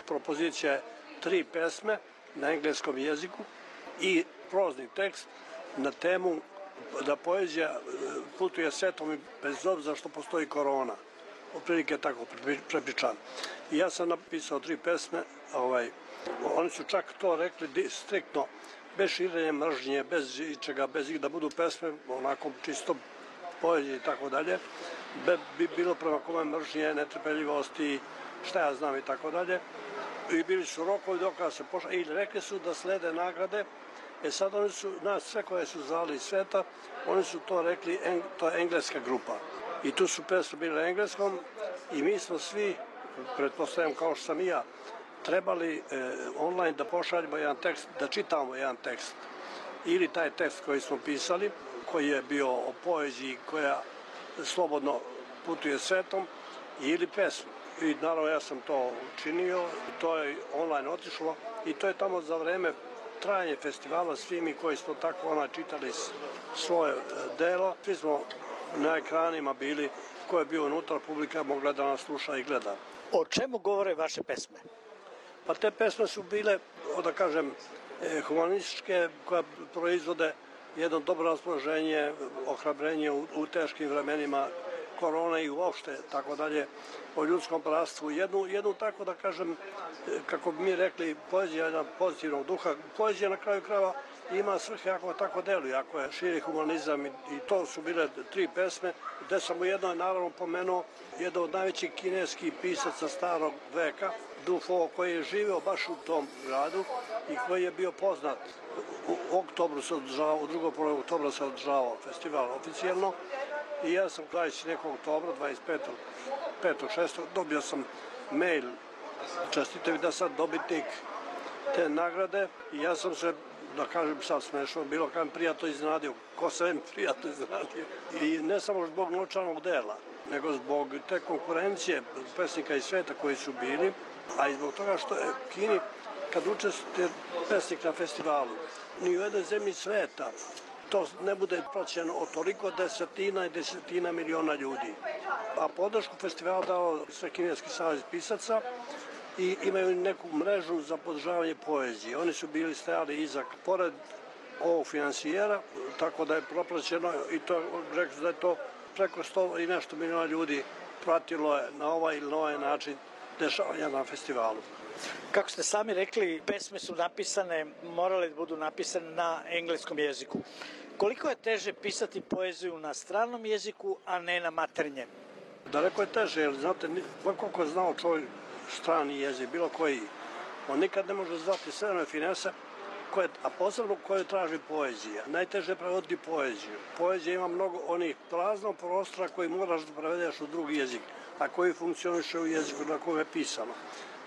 S: Propozicija je tri pesme na engleskom jeziku i prozni tekst na temu da poezija putuje svetom bez obzira što postoji korona. Otprilike je tako prepričan. I ja sam napisao tri pesme, ovaj, oni su čak to rekli striktno, bez širenja mržnje, bez ičega, bez ih da budu pesme, onako čisto poezije i tako dalje. Bi bilo prema kome mržnje, netrpeljivosti, šta ja znam i tako dalje. I bili su rokovi dok se pošla i rekli su da slede nagrade. E sad oni su, nas sve koje su zvali iz sveta, oni su to rekli, to je engleska grupa. I tu su pesme bile engleskom i mi smo svi, pretpostavljam kao što sam i ja, trebali eh, online da pošaljemo jedan tekst, da čitamo jedan tekst. Ili taj tekst koji smo pisali, koji je bio o poeziji koja slobodno putuje svetom, ili pesmu. I naravno ja sam to učinio, to je online otišlo i to je tamo za vreme trajanje festivala, svi mi koji smo tako ona čitali svoje delo, svi smo na ekranima bili, ko je bio unutra, publika mogla da nas sluša i gleda.
L: O čemu govore vaše pesme?
S: Pa te pesme su bile, da kažem, humanističke, koje proizvode jedno dobro raspoloženje, ohrabrenje u, u teškim vremenima korone i uopšte, tako dalje, o ljudskom bratstvu. Jednu, jednu tako da kažem, kako bi mi rekli, poezija jedna pozitivnog duha. Poezija na kraju krajeva ima svrhe ako tako deluje, ako je širi humanizam i, i to su bile tri pesme, gde sam u jednoj naravno pomenuo jedan od najvećih kineskih pisaca starog veka, Du Fo, koji je živeo baš u tom gradu i koji je bio poznat. U oktobru se održavao, u drugom polovu oktobra se održavao festival oficijalno i ja sam dvadeset nekog oktobra, dvadeset petog šestog dobio sam mail, čestite da sam dobitnik te nagrade i ja sam se, da kažem sad smešno, bilo kam prijatno iznenadio, ko se im prijatno iznenadio. I ne samo zbog novčanog dela, nego zbog te konkurencije pesnika iz sveta koji su bili, a i zbog toga što je Kini, kad učestvuje pesnik na festivalu, ni u jednoj zemlji sveta to ne bude praćeno od toliko desetina i desetina miliona ljudi. A podršku festivala dao sve Kineski savez pisaca i imaju neku mrežu za podržavanje poezije. Oni su bili stajali iza, pored ovog finansijera, tako da je propraćeno i to, rekli da je to preko sto i nešto miliona ljudi pratilo je na ovaj ili na ovaj način dešavanja na festivalu.
L: Kako ste sami rekli, pesme su napisane, morale da budu napisane na engleskom jeziku. Koliko je teže pisati poeziju na stranom jeziku, a ne na maternjem?
S: Daleko je teže, jer znate, koliko je znao čovjek strani jezik, bilo koji, on nikad ne može zvati sve one finese, koje, a posebno koje traži poezija. Najteže je prevoditi poeziju. Poezija ima mnogo onih praznog prostora koji moraš da prevedeš u drugi jezik, a koji funkcioniše u jeziku na kojem je pisano.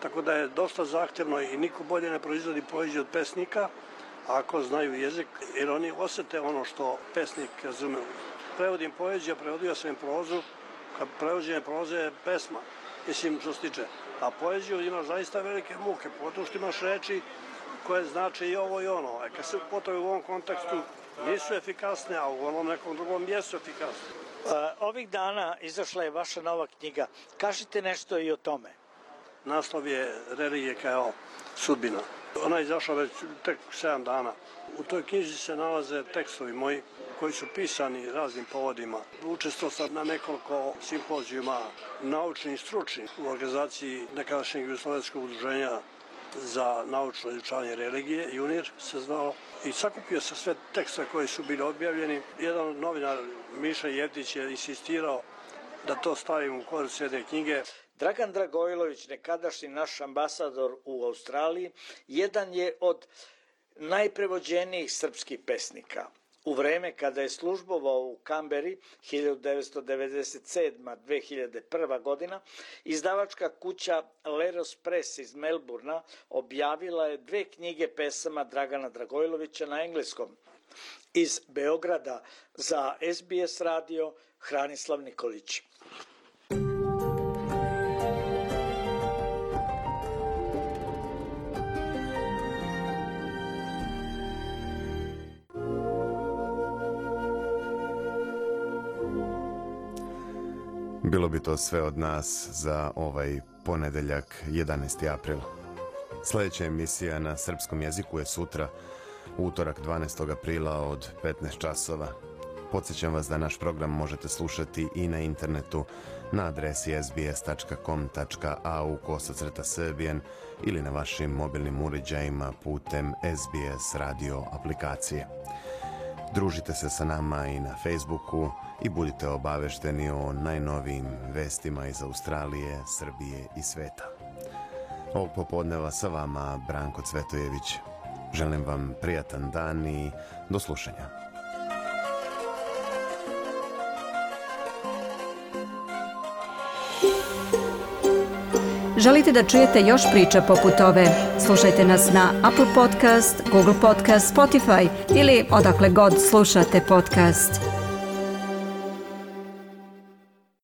S: Tako da je dosta zahtjevno i niko bolje ne proizvodi poeziju od pesnika, ako znaju jezik, jer oni osjete ono što pesnik razume. Prevodim poeziju, prevodio sam im prozu, kad prevođenje proze je pesma, mislim što se tiče. A poeziju ima zaista velike muke, potom što imaš reči koje znači i ovo i ono. A kad se upotavi u ovom kontekstu nisu efikasne, a u onom nekom drugom jesu efikasne.
L: Ovih dana izašla je vaša nova knjiga. Kažite nešto i o tome.
S: Naslov je Religija kao sudbina. Ona je izašla već tek sedam dana. U toj knjiži se nalaze tekstovi moji koji su pisani raznim povodima. Učestvovao sam na nekoliko simpozijuma naučnih i stručnih u organizaciji nekadašnjeg Jugoslovenskog udruženja za naučno izučavanje religije, Junir se zvao, i sakupio sam sve tekste koji su bili objavljeni. Jedan novinar, Miša Jevtić, je insistirao da to stavim u korist jedne knjige.
L: Dragan Dragojlović, nekadašnji naš ambasador u Australiji, jedan je od najprevođenijih srpskih pesnika. U vreme kada je službovao u Kamberi hiljadu devetsto devedeset sedma do dve hiljade prve. godina, izdavačka kuća Leros Press iz Melburna objavila je dve knjige pesama Dragana Dragojlovića na engleskom. Iz Beograda za S B S radio Hranislav Nikolić.
C: Bilo bi to sve od nas za ovaj ponedeljak, jedanaesti april. Sljedeća emisija na srpskom jeziku je sutra, utorak dvanaestog aprila od petnaest časova. Podsjećam vas da naš program možete slušati i na internetu na adresi s b s tačka com tačka a u kosacrta srbijen ili na vašim mobilnim uređajima putem S B S radio aplikacije. Družite se sa nama i na Facebooku i budite obavešteni o najnovijim vestima iz Australije, Srbije i sveta. Ovog popodneva sa vama Branko Cvetojević. Želim vam prijatan dan i do slušanja.
A: Želite da čujete još priča poput ove? Slušajte nas na Apple Podcast, Google Podcast, Spotify ili odakle god slušate podcast.